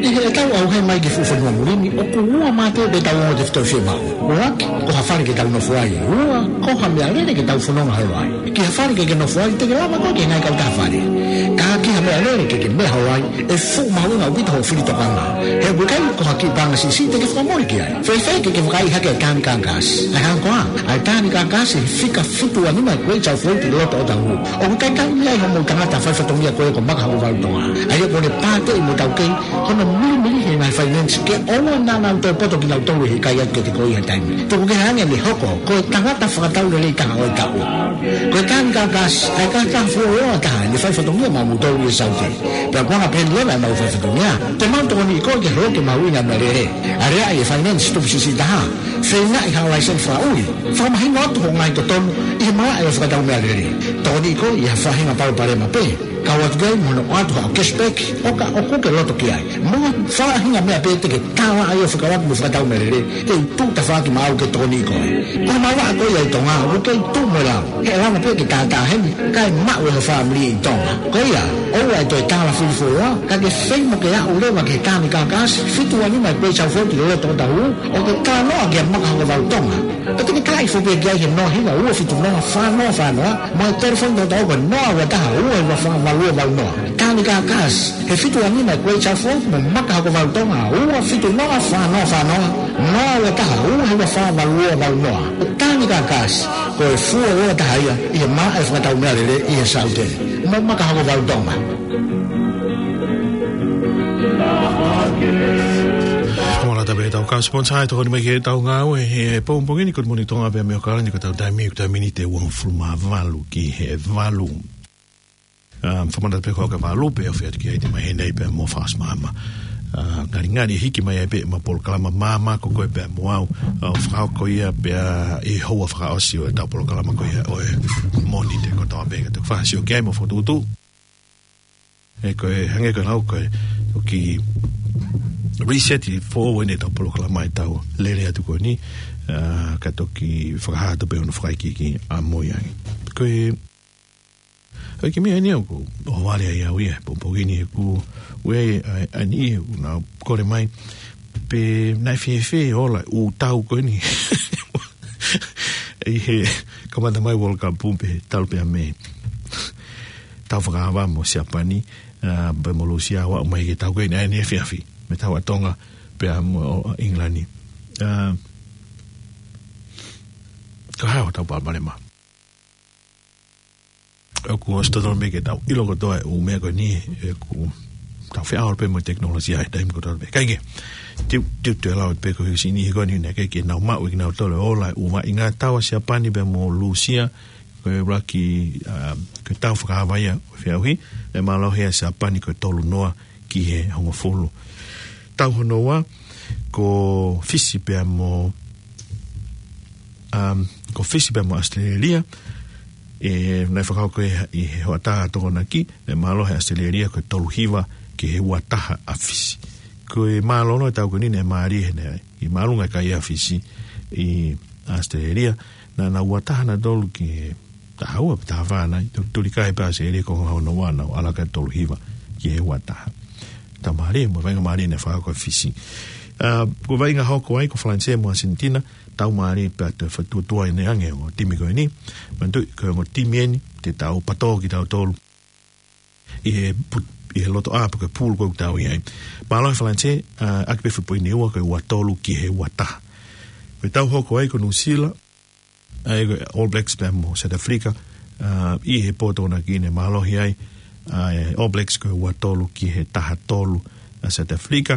ʻI heʻetau ʻauhē mai ki he fuʻu fonua muli ni, ʻoku ua mā pē ʻetau ongo tefitoʻi fiemaʻu. ʻUluaki, ko ha fale ke tau nofo ai. Ua, ko ha meʻalele ke tau fononga holo ai. Ki ha fale ke ke nofo ai, te ke lava koe ke ngaahi kautaha fale. Ka ki ha meʻalele ke ke meʻa holo ai, ʻe fuʻu mahuʻinga ʻaupito hoʻo fili tokanga. He ʻoku ʻikai ko ha kiʻi paʻanga siʻisiʻi te ke fakamole ki ai. Fēfē ke ke vakai hake ʻa e Tānikaʻa Gas? ʻA e hā koā, ʻa e Tānikaʻa Gas he fika fitu ua nima Great South Road ʻi loto ʻo Otahuhu. ʻOku ʻikai ke ʻi ai hamou tangata fai fatongia ko ē ko Maka Hokovalu Tonga. ʻA ia ʻoku ne pāteʻi mo taukei hono milimili he ngaahi finance ke ʻoua naʻa nau toe poto kinautolu he ʻikai atu ke te ko ia taimi. Tuku kehe ange ʻene hoko ko e tangata fakatau lelei taha ʻo e taʻu. Ko e Tānikaʻa Gas, ʻa e kautaha fuoloa taha ʻene fai fatongia maʻamoutolu ʻi he Saute. Pea ʻoku anga pehē ni leva ʻemau fai fatongia. Te mau tokoniʻi koe ke holo ke mahuʻinga e meʻalele. Aleaʻi e finance tupu siʻisiʻi taha. Feingaʻi ha laiseni fakaʻuli. Fakamahino atu hoʻo ngaahi totonu ʻi he malaʻe ʻo e fakatau meʻalele. Tokoniʻi koe ʻi ha faʻahinga palopalema pē. Kau atu ki ai mo hono ʻoatu haʻo cashback ʻo ka ʻoku ke loto ki ai. Mo ha faʻahinga meʻa pē te ke tālaʻa ai ʻo fekauʻaki mo e fakatau meʻalele, kei tuʻu tafaʻaki maʻau ke tokoniʻi koe. Ko e malanga ko ia ʻi Tonga, ʻoku kei tuʻu mo e lau. He lava pē ke tātā heni, kae maʻu ʻe ho fāmili ʻi Tonga. Ko ia, ʻoua ʻe toe tālafili fuoloa, ka ke fai mo ke aʻu leva ki he Tānikaʻa Gas, fitu ua nima Great South Road ʻi loto ʻo Otahuhu, ʻo ke talanoa kia Maka Hokovalu Tonga. Pea te ke talaʻi foki pē ki ai he noa hiva ua fitu noa fā noa fā noa, mo e telefoni tautau ko e noa ua taha ua hiva fā valu ua valu noa. Tānikaʻa Gas, he fitu ua nima Great South Road mo Maka Hokovalu Tonga, ua fitu noa fā noa fā noa, noa ua taha ua hiva fā valu ua valu noa. Tānikaʻa Gas, ko e fuoloa taha ia ʻi he malaʻe fakatau meʻalele ʻi he Saute. Mo Maka Hokovalu Tonga. Fakamālō atu pē ki heʻetau kau sponsor ʻi he tokoni mai ki heʻetau ngāue he pongipongi ni, Good Morning Tonga pea mei ʻAokalani, ko ʻetau taimi, ko e taimi ni ʻe uangofulu mā valu ki he valu. Um, fakamālō atu pē ki he kau kaveinga pē ʻoku ʻi ai ʻi he māhina ni pea mo Fast Mama. ʻa, ngalingali hiki mai ai pē ʻema polokalama māmā ko ē pea mo au, ʻo fakahoko ia pea ʻi he houa fakaʻosi ʻo ʻetau polokalama ko ia ʻo e Mōnite kotoa pē. Ka te u fakasio ki ai mo fokotuʻutuʻu. ʻE ko e hangē ko e lau ko e, ʻoku reset ʻi he foʻou ʻetau polokalama ʻi heʻetau lele atu ko eni, ʻa, ka toki fakahā atu pē hono fakaikiiki ʻamui ange. Ko e ʻOku ʻi ai e meʻa ʻeni ʻoku ou vale ai au ia, pongipongi ni he ʻoku ʻi ai ʻa, ʻa e niʻihi ʻoku nau kole mai, pe naʻe fēfē e ola ʻū tau ko eni. ʻI he kamata mai World Cup pē talu pē ʻa Mē. Tau fakaava mo Siapani, ʻa, pea mo Lūsia ʻo aʻu mai ki he tau ko eni, ʻa eni efiafi. Mei he tau ʻa Tonga, pea mo, ʻo, ʻIngilani. ʻA, ko e hā hotau palopalema? ʻOku ʻosi totonu pē ke tau ʻilo kotoa e ʻū meʻa ko eni, ʻoku tau feʻao pē mo e tekinolosia he taimi kotoa pē. Kae kehe, te u, te u toe lau pē ko e siʻi niʻihi ko eni naʻe ʻikai ke nau maʻu ʻe kinautolu e ola ʻū vaʻinga tau ʻa Siapani pea mo Lūsia, ko e ʻuluaki, ʻa, ko e tau fakaava ia ʻo e feʻauhi, ʻe mālohi ʻa Siapani ko e tolu noa ki he hongofulu. Tau hono ua, ko Fisi pea mo, um, ko Fisi pea mo ʻAositelēlia, ʻe, naʻe fakahoko ʻi he hoʻatā Tokonaki, ʻe mālohi ʻa ʻAositelēlia ko e tolu hiva ki he ua taha ʻa Fisi. Ko e mālōlō e tau ko eni naʻe mālie he naʻe ʻi māʻolunga e kai ʻa Fisi ʻi ʻAositelēlia, naʻa nau ua taha nautolu ki he taha ua pe taha fā nai, tu-, tuli kai pē ʻa ʻAositelēlia ko e konga hono ua, nau ʻalu ki he tolu hiva ki he ua taha. Tau mālie, mo e vaʻinga mālie naʻe fakahoko ʻe Fisi. ʻA, ko e vaʻinga hoko ai ko Falanisē mo ʻAsenitina, tau mālie pea toe fakatuotuo ʻeni ange ʻo e timi ko eni. Manatuʻi, ko e ongo timi eni, te tau patō kitautolu ʻi he pu-, ʻi he loto ʻā pe ko e pool ko ē ʻoku tau ʻi ai. Mālohi Falanisē, ʻa, ʻaki pē fuʻu poini ua ko e ua tolu ki he ua taha. Ko e tau hoko ai ko Nuʻusila, ʻa ia ko e All Blacks pea mo South Africa, ʻa, ʻi he pō Tokonaki naʻe mālohi ai ʻa e All Blacks ko e ua tolu ki he taha tolu ʻa South Africa.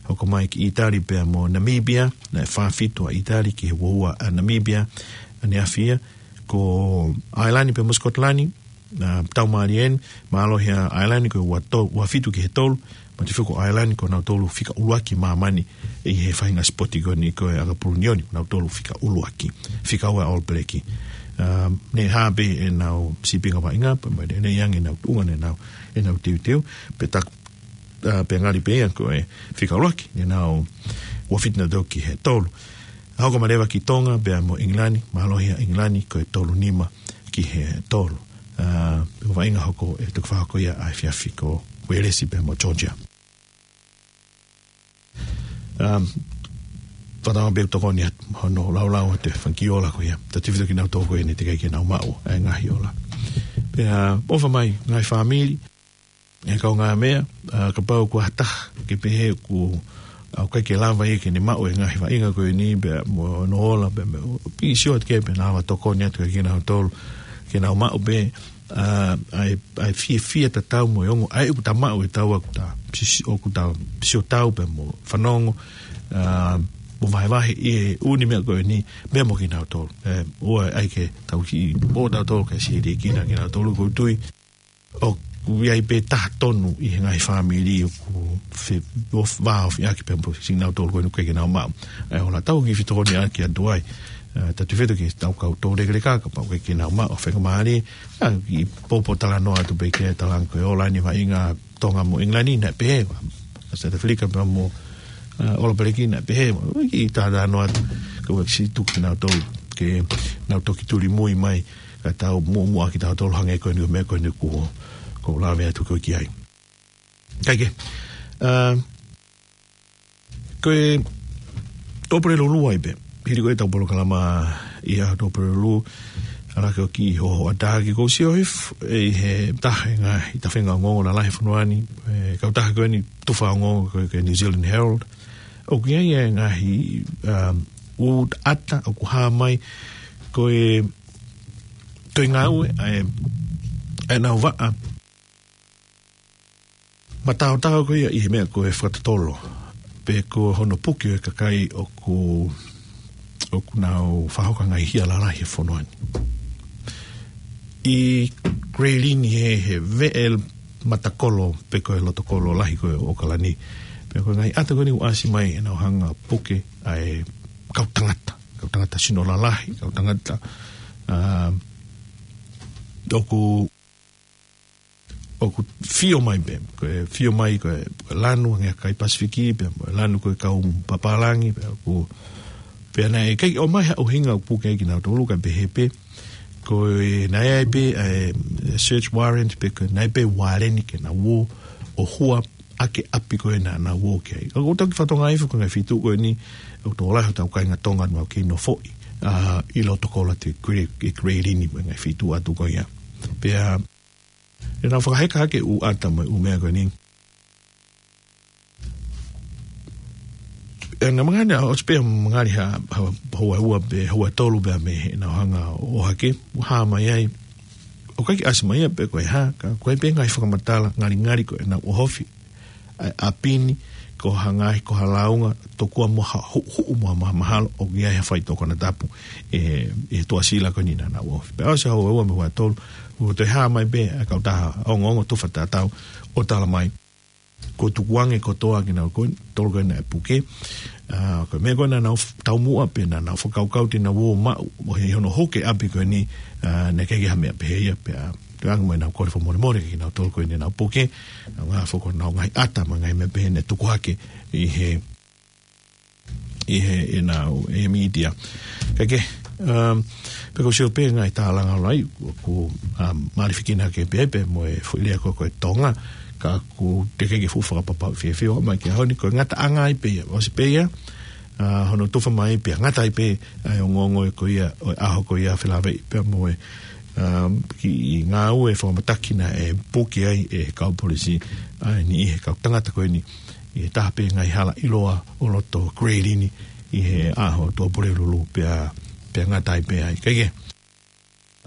Hoko mai ki ʻItali pea mo Namibia, naʻe fā fitu ʻa ʻItali ki he ua ua ʻa Namibia, ʻaneafi ia. Ko ʻAilani pea mo Sikotilani, ʻa, tau mālie ʻeni, mālohi ʻa ʻAilani ko e ua to-, ua fitu ki he tolu, manatuʻi foki ko ʻAilani ko nautolu fika ʻuluaki māmani ʻi he faʻahinga sipoti ko eni ko e ʻakapulu ni, ko nautolu fika ʻuluaki, fika ua All Black. ʻA, naʻe hā pē ʻenau sīpinga vaʻinga, pea mo e naʻe ʻi ai ange ʻenau tuʻunga, ʻenau, ʻenau teuteu, pea taku, ʻa, pea ngali pē ia ko e fika ʻuluaki, ʻenau ua fitu nautolu ki he tolu. Hoko mai leva ki Tonga pea mo ʻIngilani, mālohi ʻa ʻIngilani ko e tolu nima ki he tolu. ʻA, ko e vaʻinga hoko ʻe toki fakahoko ia ʻaefiafi ko Uēlesi pea mo Georgia. ʻA, fakatauange pē ʻoku tokoni atu hono laulau atu e fanga kiʻi ola ko ia. Tau tefito kinautolu ko eni teʻeki ai ke nau maʻu ʻa e ngaahi ola. Pea ʻofa mai ngaahi fāmili, ʻe kaungāmeʻa, ʻa, kapau ʻoku ʻi ai ha taha ke pehē ʻoku, ʻa, ʻoku ʻikai ke lava ia ke ne maʻu e ngaahi vaʻinga ko eni, pea mo hono ola, pea mo e pīsio atu ke pehē naʻa lava tokoni atu ke kinautolu, ke nau maʻu pē, ʻa, ʻa e, ʻa e fiefia tatau mo e ongo, ʻa e ʻoku ta maʻu e tau ʻoku ta, sisi-, ʻoku ta sio tau pea mo fanongo, ʻa, mo vahevahe ʻi he ʻū meʻa ko eni, pea mo kinautolu. ʻE, ʻoua ʻe ʻai ke tau kiʻi, ʻo tautolu ke sili kina kinautolu ʻoku ou tui ʻoku ʻi ai pē taha tonu ʻi he ngaahi fāmili ʻoku fe-, ʻo vāofi ʻaki pē mo siʻi kinautolu ko eni ʻoku ʻikai ke nau maʻu. ʻA e ola tau kiʻi fetokoniʻaki atu ai. ʻA, tau tefito ki heʻetau kau toulekeleka, kapau ʻoku ʻikai ke nau maʻu, faingamālie, ʻa, kiʻi pōpōtalanoa atu pē ke talanga ko e ola ʻeni vaʻinga Tonga mo ʻIngilani, naʻe pehē, ʻa South Africa pea mo, ʻa, All Blacks naʻe pehē, kiʻi talanoa atu, ka ʻoku ʻikai siʻi tuku kinautolu, ke nau toki tuli mui mai, ka tau muʻomuʻa kitautolu hangē ko eni ʻo e meʻa ko eni ʻoku, ʻoku ou lave atu ko ē ki ai. Kae kehe, ʻa, ko e Tōpulelulu ai pē. Hili ko ē ʻetau polokalama ʻi he Tōpulelulu, ʻalu hake ʻo kiʻi hohoʻa taha ki he ʻosi ʻo hif-, ʻi he taha e ngaahi tafenga ongoongo lalahi e fonua ni, e kautaha ko eni tufa ongoongo ko e, ko e New Zealand Herald. ʻOku ʻi ai e ngaahi, um, ʻū ʻata ʻoku hā mai ko e, ko e ngāue, ʻa e, ʻa e nau vaʻa mataotao ko ia ʻi he meʻa ko e fakatotolo, pe ko hono puke ʻo e kakai ʻoku, ʻoku nau fakahoko e ngaahi hia lalahi he fonua ni. ʻI Grey Lynn he, he veʻe matakolo pe ko e lotokolo lahi ko ē ʻo ʻAokalani. Pea ko e ngaahi ʻata ko eni ʻoku ʻasi mai ʻenau hanga ʻo puke ʻa e kau tangata, kau tangata sino lalahi, kau tangata, ā, ʻoku, ʻoku fio mai pē, ko e fio mai ko e, ko e lanu ange ʻa e kakai Pasifiki, pea mo e lanu ko e kau papālangi, pea ʻoku, pea naʻe ʻikai ʻomai ha ʻuhinga ʻoku puke ai kinautolu kae pehē pē, ko e naʻe ʻi ai pē, ē, search warrant pe ko e naʻe ʻi ai pē uāleni ke nau ō ʻo hua ʻaki e ʻapi ko ē naʻa nau ō ki ai. Ka ʻoku ou toki fakatokangaʻi foki ko e ngaahi feituʻu ko eni, ʻoku tokolahi hotau kāinga Tonga ʻoku nau kei nofoʻi, ā, ʻi loto koula ʻo e Great, ʻi Great Inu mo e ngaahi feituʻu atu ko ia. Pea, ʻenau fakaheka hake e ʻū ʻata mo e ʻū meʻa ko eni. ʻE, naʻe mangaʻi ʻa, ʻosi pē mangaʻi ha, ha, houa ua pe houa tolu pea mei heʻenau hanga ʻo ʻohake, ʻoku hā mai ai. ʻOku ʻikai ke ʻasi mai ia pe ko e hā, ka ko e pē ngaahi fakamatala, ngalingali ko ʻenau ʻohofi ʻa e ʻapi ni, ko ha ngaahi, ko ha lāunga, tokua mo ha huʻuhuʻu mo ha mahamahalo, ʻoku ʻi ai ha faitoʻo konatapu, ē, ʻi he tuʻasila ko eni naʻa nau ʻohofi. Pea ʻosi houa ua mo e houa tolu, ʻoku toe hā mai pē ʻa e kautaha ongoongo tufa tatau ʻo tala mai, kuo tukuange kotoa kinautolu ko eni, tolu ko ē naʻe puke. Ā, ko e meʻa ko ē naʻa nau f-, taumuʻa pē naʻa nau fakakaukau te nau ō ʻo maʻu, ʻo hē hono huke ʻapi ko eni, ā, naʻe ʻikai ke ʻi ai ha meʻa pehē ia pea, ʻoange mai ʻenau kole fakamolemole kiate kinautolu ko eni naʻa nau puke, ʻa e ngaahi foʻi ko ʻenau ngaahi ʻata mo e ngaahi meʻa pehē naʻe tuku hake ʻi he, ʻi he, ʻenau, ʻe mītia. Kae kehe, um, pea ʻoku ou sio pē ngaahi tālanga ʻoku ʻi ai, ʻoku, um, mālifikina ke pehē pē mo e foʻi lea ko ē ko e Tonga, ka ʻoku teʻeki ke fuʻu fakapapauʻi fiefia mai ki he ʻaho ni ko e ngataʻanga ai pē ia, ʻosi pē ia, ā, hono tufa mai pea ngata ai pē ʻa e ongoongo ko ia, ʻo e ʻaho ko ia felāveʻi pea mo e, um, kiʻi ngāue fakamataki naʻe puke ai ʻe he kau polisi, ʻa e niʻihi he kau tangata ko eni, ʻi he taha pē ngaahi hala ʻiloa ʻo loto Great Inu ʻi he ʻaho Tuʻapulelulu pea, pea ngata ai pē ai. Kae kehe,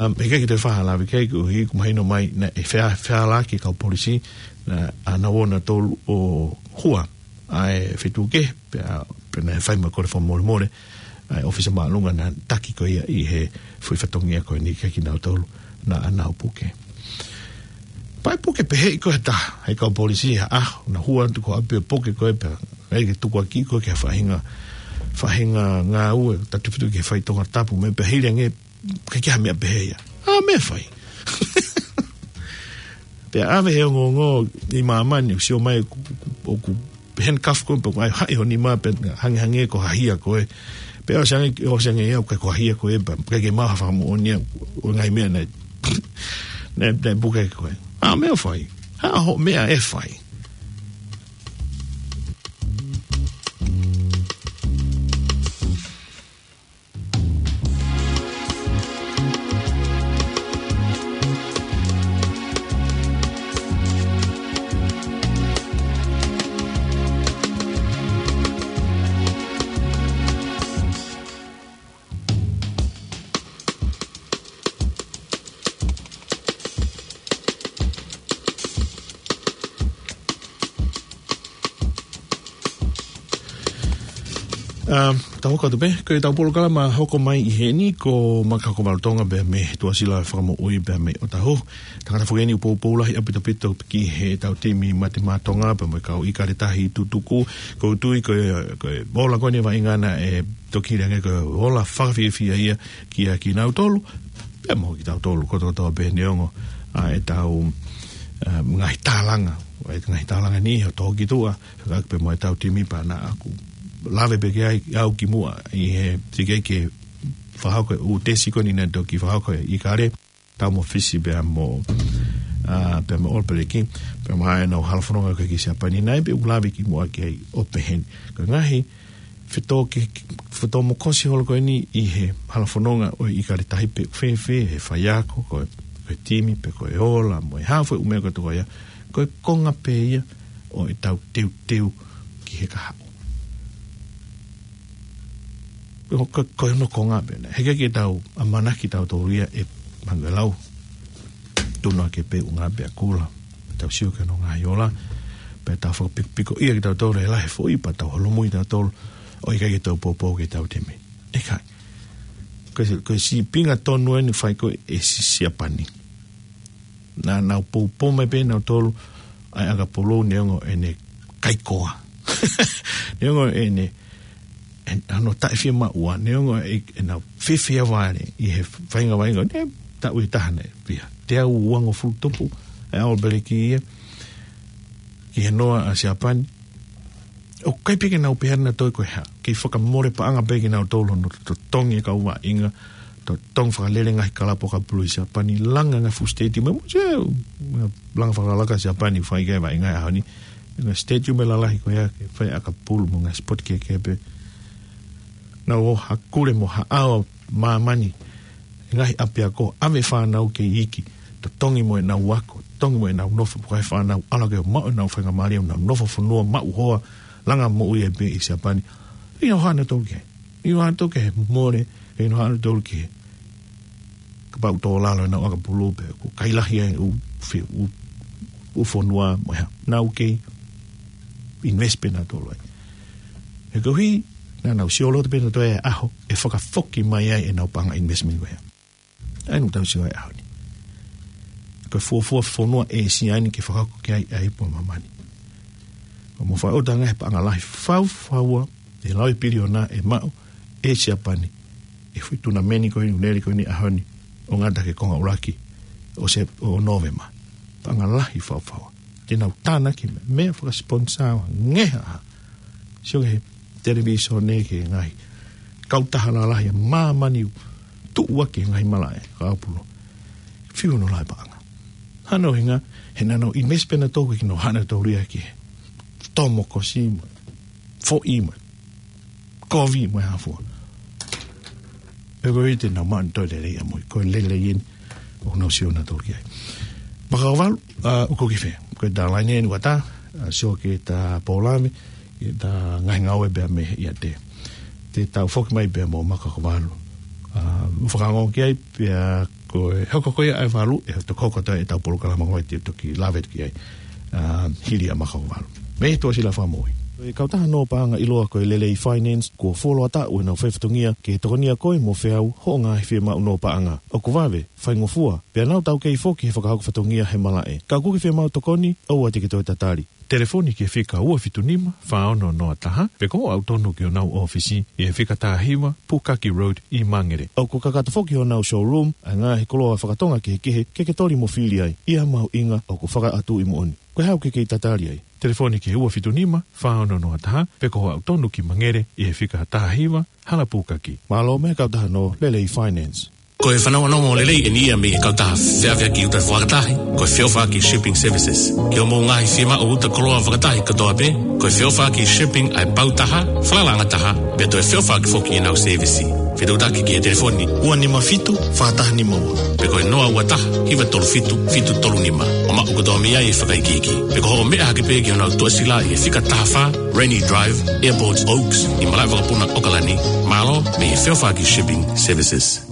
um, ʻikai ke toe fai ha lave ki ai koeʻuhi ʻoku mahino mai naʻe fea-, feala ki he kau polisi, naʻa nau ō nautolu ʻo hua ʻa e feituʻu kehe, pea, pea naʻe fai mai e kole fakamolemole ʻa e ʻōfisa māʻolunga naʻe taki ko ia ʻi he foʻi fatongia ko eni kiate kinautolu naʻa nau puke. Pea puke pehē ko ē ʻe he taha ʻa e kau polisi ha ʻaho, naʻa hua atu ki ʻapi ʻo puke ko ē pea ʻai ke tukuakiʻi ko ē ki ha faʻahinga, faʻahinga ngāue, tatau pē ki he faitoʻo konatapu mo e pehē hili ange, ʻikai ke ʻi ai ha meʻa pehē ia. ʻA, meʻa fai. Pea ʻave he ongoongo ʻi māmani, ʻoku sio mai ʻoku, ʻoku, ʻoku handcuff koe, pea ʻai haʻi ho nima pea hangehangē ko ha hia koe. Pea ʻosi ange, ʻosi ange ia, ʻoku ʻikai ko ha hia koe, pea ʻikai ke maʻu ha fakamoʻoni ia ʻo e ngaahi meʻa naʻe, naʻe, naʻe puke koe. ʻA, meʻa fai. ʻA, hoʻo meʻa ʻe fai. Um, tau hoko atu pē, ko ʻetau polokalama hoko mai ʻi heni ko Makahoko Valu Tonga pea mei he Tuʻasila Fakamoʻui pea mei ʻOtahuhu. Tangata foki eni ʻoku poupou lahi ʻaupito ki heʻetau timi Mate Maʻa Tonga pea mo e kau ʻIkale Tahi tutuku. ʻOku ou tui ko e, ko e ola ko eni vaʻinga naʻe toki hili ange ko e ola fakafiefia ia kiate kinautolu pea mo kitautolu kotoa kotoa pē neongo ʻa ʻetau, um, ngaahi tālanga, ʻa e ngaahi tālanga ni ʻoku tō ki tuʻa, fekauʻaki pē mo ʻetau timi pea naʻa ku lave pē ki ai au kimuʻa ʻi he teʻeki ke fakahoko e ʻū tesi ko eni naʻe toki fakahoko ʻe ʻIkale, tau mo Fisi pea mo, ā, pea mo ʻAlapeleki, pea mo ʻenau halafononga ko ē ki Siapani, naʻe pē u lave kimuʻa ki ai ʻo pehē ni. Ko e ngaahi fetō ki, fetō mo kosi holo ko eni ʻi he halafononga ʻo e ʻIkale Tahi pe ʻoku fēfē, he faiako, ko e, ko e timi, pe ko e ola, mo e hā fua e ʻū meʻa kotoa ia, ko e konga pē ia ʻo ʻetau teuteu ki he kahaʻu. Ko, ko, ko hono konga pē ena. Heʻikai ke tau ʻamanaki tautolu ia ʻe Manuelau Tunuake pe ʻUnga pe Akula. Tau sio ki hono ngaahi ola, pea tau fakapikopiko ia kitautolu ʻe lahi e foʻi, pea tau holomui tautolu, ʻo ʻikai ke tau poupou ki heʻetau timi. ʻIkai. Ko e, ko e sīpinga tonu eni ʻoku fai ko ē ʻe Si-, Siapani. Naʻa nau poupou mai pē nautolu ʻa e ʻakapulu neongo ʻene kaikoa. Neongo ʻene, ʻe, ʻa hono taʻefiemaʻua, neongo ʻe, ʻenau fiefia vale ʻi he faʻahinga vaʻinga, ne taʻu ʻe taha naʻe fiha. Teau uangofulu tupu, ʻe ʻAlipeleki ia, ki he noa ʻa Siapani. ʻOku ʻikai pē ke nau pehē naʻa toe ko e hā. Kei fakamole paʻanga pē kinautolu hono totongi e kau vaʻinga, totongi fakalele ngaahi kalapu ʻakapulu ʻi Siapani, langa ngaahi fuʻu stadium, mo se, langa fakalakalaka Siapani, fai ki ai vaʻinga he ʻaho ni. Ngaahi stadium lalahi ko ia, ke fai ʻakapulu mo ngaahi sipoti kehekehe pē. Nau ō hakule mo haʻao māmani, ngaahi ʻapiako, ʻave fānau kei iiki, totongi mo ʻenau ako, totongi mo ʻenau nofo, pukai fānau, ʻalu ke maʻu ʻenau faingamālie, ʻenau nofo fonua, maʻu hoa, langa moʻui ai pē ʻi Siapani. ʻIo hana tau ke, ʻio hana tau ke he mole, ʻio hana tau ke. Kapau tō lalo ʻenau ʻakapulu pē, ko e kai lahi ai ʻū fe-, ʻū, ʻū fonua, mo e hā. Nau kei invest pē nautolu ai. He koeʻuhi, naʻa nau sio loto pē nautolu e ʻaho, ʻe fakafoki mai ai ʻenau paʻanga investment ko ia. ʻA ia naʻa tau sio ai ʻaho ni. Ko e fuofua fonua ʻĒsia ni ke fakahoko ki ai ʻa e ipu ʻa māmani. ʻO mo fakaʻotua ngaahi paʻanga lahi faufaua, ʻe laui piliona ʻe maʻu ʻe Siapani. ʻI he foʻi tunameni ko eni, ʻū lele ko eni ʻaho ni, ʻo ngata ki he konga ʻuluaki ʻo Sep-, ʻo Nōvema. Paʻanga lahi faufaua. Te nau tānaki mei, mei fakasponsa ngeha. Sio ki he televīsone, ki he ngaahi kautaha lalahi ʻa māmani tuʻu ʻaki e ngaahi malaʻe ʻakapulu. Fiu hono lahi paʻanga. Hano hinga, he naʻa nau invest pē nautolu ki hono hana taulia ki he tomo kosi mo e foʻi mo e kovi mo e hā fua. Pea ko e ʻuhi te nau maʻu ʻe nautolu e lelei ʻamui, ko e lelei eni ʻoku nau sio nautolu ki ai. Makakavalu, ʻa, ʻoku ke fē? Ko e tā laine eni ʻoku ʻatā, ʻa, sio ki he tā pōlave, ki he tā ngaahi ngāue pea mei he ʻiate. Te tau foki mai pea mo Makakavalu. ʻA, ʻoku fakaongo ki ai, pea ko e hoko ko ia ʻa e valu, ʻe toki hoko atu ai ʻetau polokalama ko ia te toki lave ki ai. ʻA, hili ʻa Makakavalu. Mei he Tuʻasila Fakamoʻui. Ko e kautaha nō paʻanga ʻiloa ko e Lelei Finance, kuo fuoloa taʻu ʻenau faifatongia ke tokonia koe mo feau hoʻo ngaahi fiemaʻu nō paʻanga. ʻOku vave, faingofua, pea nau taukei foki he fakahoko fatongia he malaʻe. Ka ʻoku ke fiemaʻu tokoni, ʻoua te ke toe tatali. Telefoni ki he fika ua fitu nima, fā ono noa taha, pe ko hoʻo aʻu tonu ki honau ʻōfisi, ʻi he fika taha hiva, Pukaki Road, ʻi Mangere. ʻOku kakato foki honau showroom, ʻa e ngaahi koloa fakatonga kehekehe, ke ke toli mo fili ai, ʻi ha mahuʻinga ʻoku fakaʻatu ʻi moʻoni. Ko e hā ʻoku ke kei tatali ai? Telefoni ki he ua fitu nima, fā ono noa taha, pe ko hoʻo aʻu tonu ki Mangere, ʻi he fika taha hiva, Hala Pukaki. Mālō mei he kautaha nō Lelei Finance. Ko e fanongonongo lelei eni ia mei he kautaha feʻaveʻaki uta fakatahi, ko e Feʻofaʻaki Shipping Services. Ki hoʻomou ngaahi fiemaʻu uta koloa fakatahi kotoa pē, ko e Feʻofaʻaki Shipping ʻa e pau taha, falalaʻanga taha, pea toe feʻofaʻaki foki ʻenau sēvisi. Fetuʻutaki ki he telefoni ua nima fitu, fā taha nima ua. Pe ko e noa ua taha, hiva tolu fitu, fitu tolu nima. ʻO maʻu kotoa mei ai e fakaikiiki. Pe ko hoʻo meʻa hake pē ki honau tuʻasila ʻi he fika taha fā, Rainy Drive, Airport Oaks, ʻi malaʻe vakapuna ʻAokalani. Mālō mei he Feʻofaʻaki Shipping Services.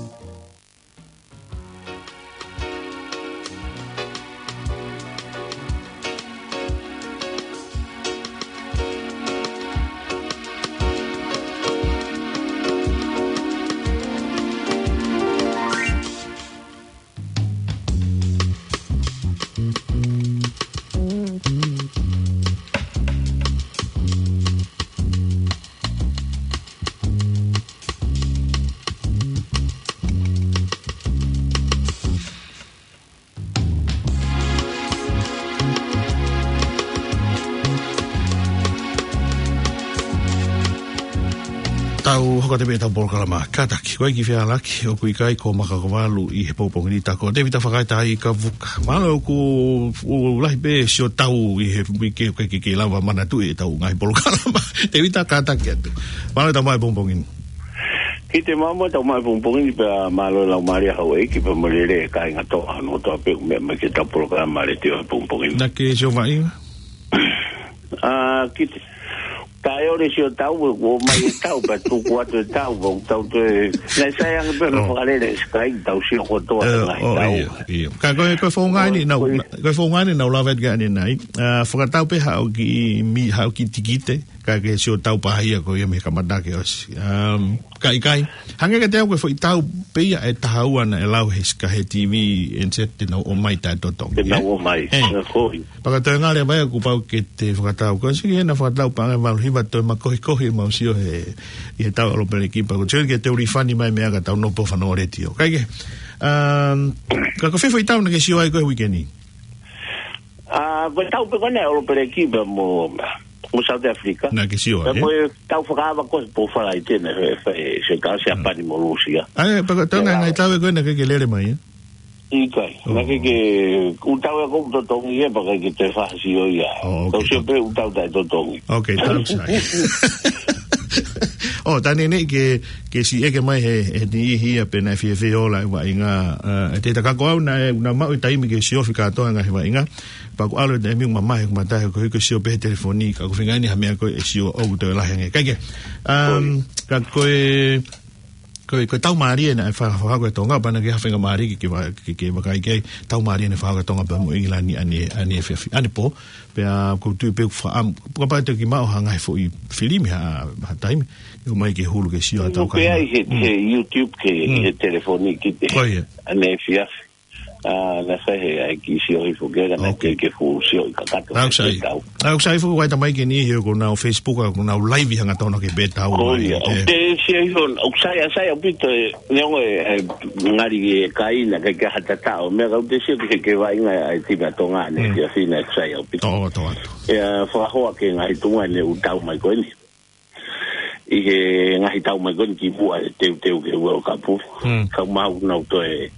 Tau hoko atu pē ʻetau polokalama kātaki. Ko e kiʻi fehālaaki, ʻoku ʻikai ko Makakavalu ʻi he pongipongi ni, tā ko Tēvita Fakaetaʻaikavuka. Mālō ʻoku, ʻoku lahi pē sio tau ʻi he uike, ʻoku ʻikai ke, ke lava manatuʻi ʻetau ngaahi polokalama. Tēvita, kātaki atu. Mālō e tau mai pongipongi ni. Kiate koe mo e tau mai pongipongi ni pea mālō e laumālie houʻeiki pea mo e lelei e kāinga kotoa hono kotoa pē ʻoku meʻa mai ki heʻetau polokalama letiō he pongipongi ni. Naʻa ke sio vaʻinga? ʻA, kiate. Taʻeʻoua e sio tau, ʻoku ō mai e tau, pea tuku atu e tau, pea tau toe. Naʻe sai ange pē mo fakalele e Sky, tau sio kotoa e ngaahi tau. ʻIo, ʻio. Ka ko e, ko e founga eni naʻa, ko e founga eni naʻa ku lave ki ai ʻanenai. ʻA, fakatau pē haʻo kiʻi mi-, haʻo kiʻi tikite. Ka ke sio tau pāhia ko ia mei he kamata ke ʻosi. Um, ka ʻikai, hangē kiate au ko e foʻi tau pē ia ʻe taha ua naʻe lau he sika he T V ʻe niʻihi te nau ō mai taʻe totongi, Te ē? Nau ō mai. Ē. Ko ia. Pea ka toe ngale mai ʻoku pau ke te fakatau. Ko e siki hena fakatau paʻanga ʻe valu hiva toe makohikohi ʻemau sio he, ʻi he tau ʻa Lopeleki pea ko e sio ke te uli fani mai meʻa ka tau nopo fano letio. Kae kehe, um, ka ko e fē foʻi tau naʻa ke sio ai ko e uike ni? Ah, ko e tau pē ko ena ʻa Lopeleki pea mo, mo South Africa. Naʻa ke sio ai, Pea ē? mo e tau fakaava ko e pō Falaite naʻe fai, fai, se ka Siapani mo Lūsia. ʻA ē, pea ko e tau Ia, ngaahi, ngaahi tau ē ko ena ke ke lele mai, ē? ʻIkai. Oh. Naʻa ke ke, ʻū tau ē ʻoku totongi ē, pea ʻikai ke te fai ha sio ia. Oh, ok. Tau sio pē ʻū tau taʻe totongi. Ok, tau sai. Oh, tā neʻineʻi ke, ke siʻi ʻeke mai he, he niʻihi ia pe naʻe fiefia ʻo ola e vaʻinga, eh, ʻe te ta ka ko au naʻe, naʻa ku maʻu e taimi ke sio fika toa ngaahi vaʻinga. Pea ʻoku ʻalu e taimi ʻoku mamahi ʻoku matahe ko e hiko sio pē he telefoni, ka ʻoku feinga ni ha meʻa ko ē ʻe sio ʻoku toe lahi ange. Kae kehe, um, Ko ia. ka ko e, ko e, ko e tau mālie naʻe fa-, fakahoko ʻe Tonga, pea naʻa ke ha faingamālie ke, ke va-, ke, ke vakai ki ai, tau mālie naʻe fakahoko ʻe Tonga pea mo ʻIngilani ʻane, ʻaneefiafi, ʻanepō, pea ʻoku ou tui pē ʻoku faʻa, kapau te ke maʻu ha ngaahi foʻi filimi ha, ha taimi, ʻomai ke hulu ke sio ha tau Ko pē ai kāinga. he, Mm. he YouTube ke, Mm. he telefoni ki te. Ko ia. ʻAneefiafi. Ah, naʻe fai he ʻai ke sio hifo ke, ka naʻe Ok. ke, ke fuʻu sio ʻi kakato ʻOku sai. ke tau. ʻOku sai foki ʻa e tamaiki ni he ko nau Facebook, ko nau live hangatonu ke pē tau Ko mai, ia, ē. ʻoku te sio hifo, ʻoku sai, ʻa sai ʻaupito ē, neongo e, e, ngali e kaina ke, ke ha tatau, meʻa ka ʻoku te sio ke, ke vaʻinga ʻa e timi ʻa Tonga ʻaneefiafi naʻe sai ʻaupito. Tō, tō atu. ʻIa, fakahoa ke ngaahi tuʻunga ʻene ʻū tau mai ko eni. ʻI he ngaahi tau mai ko eni kimuʻa he teuteu ki he World Cup. Hmm. Ka ʻoku mau nau toe,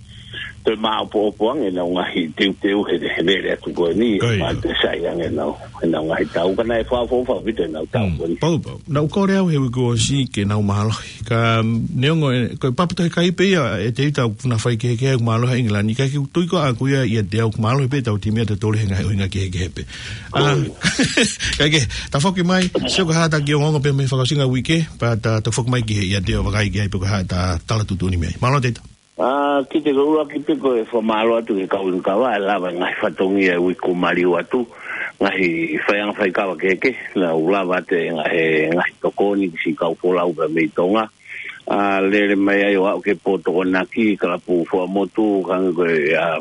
toe māʻopoʻopo ange ʻenau ngaahi teuteu he, he lele atu ko eni, Ko ia. ma te sai ange ʻenau, ʻenau ngaahi tau. Ka naʻe fakaʻofoʻofa ʻaupito ʻenau tau Hmm. ko eni. Pau, pau. Naʻa ku kole au he uike kuo ʻosi ke nau mālohi. Ka, mm, neongo e, ko e papa tohi kai pē ia, ʻe te ita ʻoku na fai kehekehe ʻoku mālohi ʻa ʻIngilani. Ka ʻoku ou tui ko ʻaku ia ʻiate au ʻoku mālohi pē ʻetau timi ʻatautolu he ngaahi ʻuhinga kehekehe pē. Ah, kae kehe, ta foki mai, sio ko e hā ʻeta kiʻi ongoongo pē mei he fakaʻosinga uike, pea ta, ta foki mai ki he ʻiate ʻo vakai ki ai pe ko e hā ʻeta tala tuʻutuʻuni mei ai. Mālō Teta. Ah, kiate au ʻuluaki pē ko e fakamālō atu ki he kau inu kava, ʻe lava e ngaahi fatongia e uike kuo maliu atu, ngaahi faiʻanga faikava kehekehe, naʻa nau lava atu e ngaahi, ngaahi tokoni ki siʻi kau folau pea mei Tonga. Ah, lele mai ai ʻo aʻu ki he pō Tokonaki, kalapu Fuaʻamotu, ka hangē ko e, ah,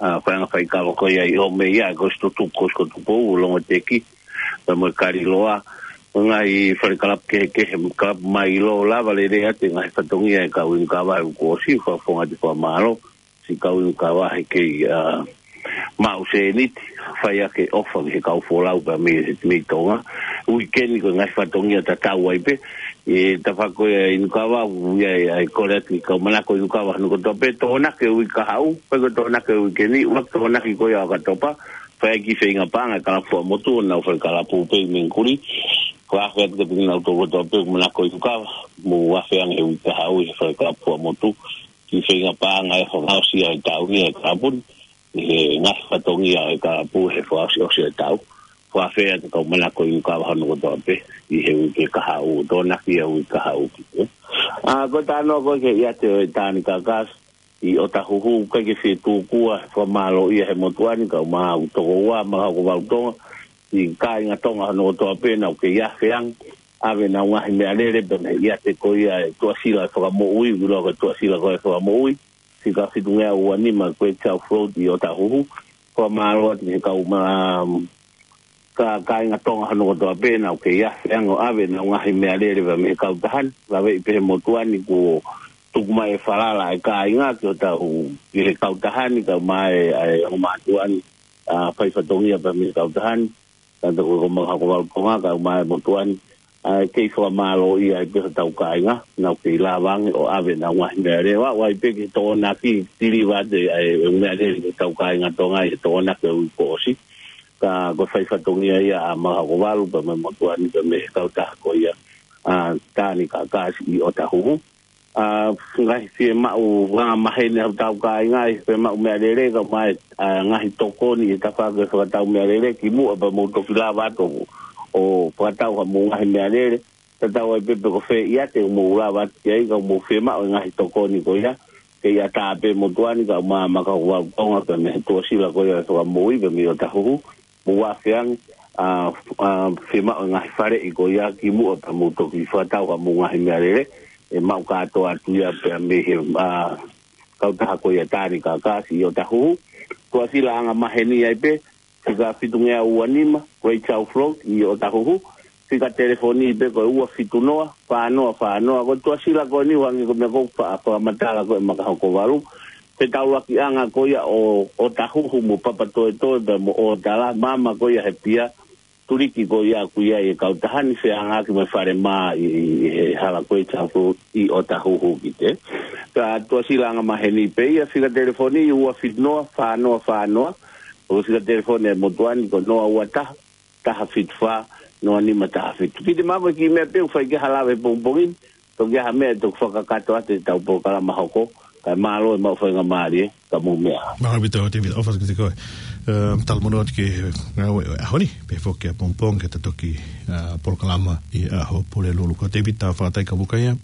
ah, faiʻanga faikava ko ia ʻi ʻOmei ia, ko Situtu, ko Situtu Pou, Longoteki, pea mo e Kaliloa, ngaahi fale kalapu kehekehe, kalapu mai ʻi loto lava lele atu e ngaahi fatongia e kau inu kava he uike kuo ʻosi, fakafofonga atu e fakamālō, siʻi kau inu kava he kei, ah, maʻu sēniti, fai ʻaki e ʻofa ki he kau folau pea mei, mei Tonga. Uike ni ko e ngaahi fatongia tatau ai pē, ʻi he tafaʻaki ko ia e inu kava, ʻoku ʻi ai, ʻa e kole atu ki he kau manako inu kava hono kotoa pē, Tokonaki e uike kahaʻu, pea ko e Tokonaki e uike ni, ʻuluaki Tokonaki ko ia ʻo ʻOkatopa, fai e kiʻi feinga paʻanga e kalapu Fuaʻamotu, ʻo nau fai kalapu pē ʻi Mengkuli, fakaafe atu kiate kinautolu kotoa pē, manako inu kava, mou afe ange he uike kahaʻu ʻi he fai kalapu Fuaʻamotu, kiʻi feinga paʻanga e fakaʻosi ʻa e tau ni e kalapu ni, ʻi he ngaahi fatongia e kalapu he fakaʻosiʻosi e tau. Fakaafe atu kau manako inu kava hono kotoa pē, ʻi he uike kahaʻu, Tokonaki e uike kahaʻu ki te. Ah, ko e talanoa ko ē ki he ʻiate ʻo e Taani Kakasi ʻi ʻOtahuhu, ʻikai ke fie tuku ʻa e fakamālō ia he motuʻa ni, kau mai ʻa e tokoua, Makahokovalu Tonga, siʻi kāinga Tonga hono kotoa pē, naʻa nau kei afe ange, ʻave ʻenau ngaahi meʻalele, pea mei he ʻiate ko ia e Tuʻasila Fakamoʻui, ʻoku ʻiloa ko e Tuʻasila ko e Fakamoʻui, siʻi ka fitungeau ua nima Great South Road ʻi ʻOtahuhu. Fakamālō atu ki he kau ma-, ka, kāinga Tonga hono kotoa pē, naʻa nau kei afe ange ʻo ʻave ʻenau ngaahi meʻalele pea mei he kautaha ni, laveʻi pē he motuʻa ni kuo tuku mai e falala e kāinga ki hotau, ki he kautaha ni, kau mai ʻa e ongo mātuʻa ni, ah, fai fatongia pea mei he kautaha ni, ka ko e ko Makahokovalu Tonga, kau mai e motuʻa ni, ʻa e kei fakamālō ia ai pē hotau kāinga, naʻa nau kei lava ange ʻo ʻave ʻenau ngaahi meʻalele, ʻo aʻu ai pē ki he Tokonaki, tiliva atu ʻa e, e meʻalele ki hotau kāinga Tonga ʻi he Tokonaki e uike kuo ʻosi. Ka ko e fai fatongia ia ʻa Makahokovalu pea mei he motuʻa ni pea mei he kautaha ko ia, ah, Taani Kakasi ʻi ʻOtahuhu. Ah, ngaahi fiemaʻu, ngaahi maheni hotau kāinga, ʻi he fiemaʻu meʻalele kau mai, ah, ngaahi tokoni ʻi he tafaʻaki e fakatau meʻalele, kimuʻa pea mou toki lava atu ʻo fakatau haʻamou ngaahi meʻalele, tatau ai pē pe ko fē ʻiate ʻoku mou lava atu ki ai, ka mou fiemaʻu e ngaahi tokoni ko ia, kei ʻatā pē motuʻa ni, kau mai ʻa Makahokovalu Tonga pea mei he Tuʻasila ko ia e Fakamoʻui pea mei ʻOtahuhu, mou afe ange, ʻa, ʻa, fiemaʻu e ngaahi faleʻi ko ia kimuʻa pea mou toki fakatau haʻamou ngaahi meʻalele, ʻe maʻu kātoa atu ia pea mei he, ʻa, kautaha ko ia Tāni Kākāsi ʻi ʻOtahuhu. Tuʻasila anga maheni ai pē, fika fitungeau ua nima, Great South Road, ʻi ʻOtahuhu. Fika telefoni pē ko e ua fitu noa, fā noa fā noa. Ko e tuʻasila ko eni ʻoku hangē ko e meʻa ʻoku ou fa-, fakamatala ko ē Makahokovalu. Fetaulakiʻanga ko ia ʻo, ʻOtahuhu mo Papatoetoe pea mo ʻOtala, maama ko ia he pia, tuliki ko ia ʻoku ʻi ai e kautaha ni, feangaaki mo e falemā ʻi, ʻi, ʻi he hala ko ē Great South Road ʻi ʻOtahuhu ki te. Ka tuʻasila anga maheni pē ia, fika telefoni ua fitu noa, fā noa fā noa. Ko e fika telefoni ʻa e motuʻa ni ko noa ua taha, taha fitu fā, noa nima taha fitu. Kiʻi te mako ki he meʻa pē ʻoku fai ki ai ha lave he pongipongi ni, toki ʻi ai ha meʻa ʻe toki fakakakato atu ʻetau polokalama hoko, kae mālō e maʻu faingamālie, ka mou meʻa. Mālō ʻaupito, David, ʻofa atu kiate koe. Um, talamonū atu ki he ngāue ʻo e ʻaho ni, pea foki ʻapongipongi ke ta toki, uh, polokalama ʻi he ʻaho Pulelulu. Ko David Tafataikavukaia,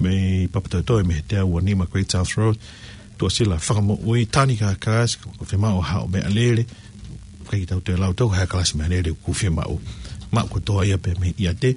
mei Papatoetoe, mei he teau ua nima Great South Road. Tuʻasila fakamoʻui, Tāni Kākāsi, ko e fiemaʻu haʻo meʻalele. ʻIkai ke tau toe lau atu ha kalasi meʻalele ʻoku fiemaʻu. Maʻu kotoa ia pē mei ʻiate,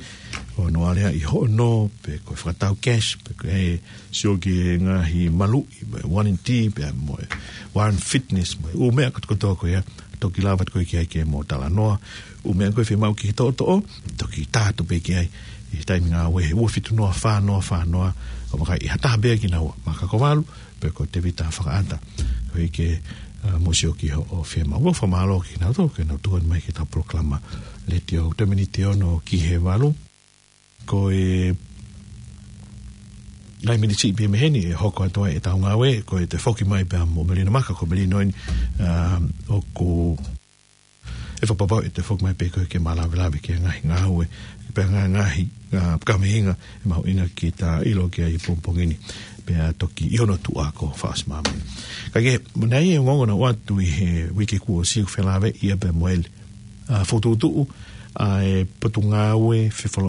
ʻo nau aleaʻi hoʻo nō, pe ko e fakatau cash, pe ko e sio ki he ngaahi maluʻi, mo e warranty, pea mo e Warren Fitness, mo e ʻū meʻa kotokotoa ko ia, toki lava atu koe ki ai ke mo talanoa, ʻū meʻa ko ē fiemaʻu ke toʻotoʻo, toki tā atu pē ki ai, ʻi he taimi ngāue he ua fitu noa fā noa fā noa, ʻo vakai ʻe ha taha pē ia kinaua, Makahokovalu, pe ko Tevita Fakaʻata. Ko ia ke, uh, mou sio ki hoʻo fiemaʻu. ʻOku fakamālō kinautolu, ke nau tuku mai ki heʻetau polokalama letiō. Toe miniti ono ki he valu. Ko e ngaahi miniti pē mei heni ʻe hoko atu ai ʻetau ngāue, ko e toe foki mai pea mo Melina Maka, ko Melina eni, um, ʻoku ʻe fakapapauʻi ʻe toe foki mai pē ko ē ke ma lavelave ki he ngaahi ngāue, pea ngaahi, ngaahi, uh, kaveinga ʻe mahuʻinga ke ta ʻilo ki ai he pongipongi ni. Pea toki ʻi hono tuʻa ko Faʻasi Māmani. Ka ke, mo nai e ongoongo naʻe ʻoatu ʻi he uike kuo ʻosi ʻoku felāveʻi ia pea mo e, uh, fokotuʻutuʻu ʻa e Potungāue Fefolō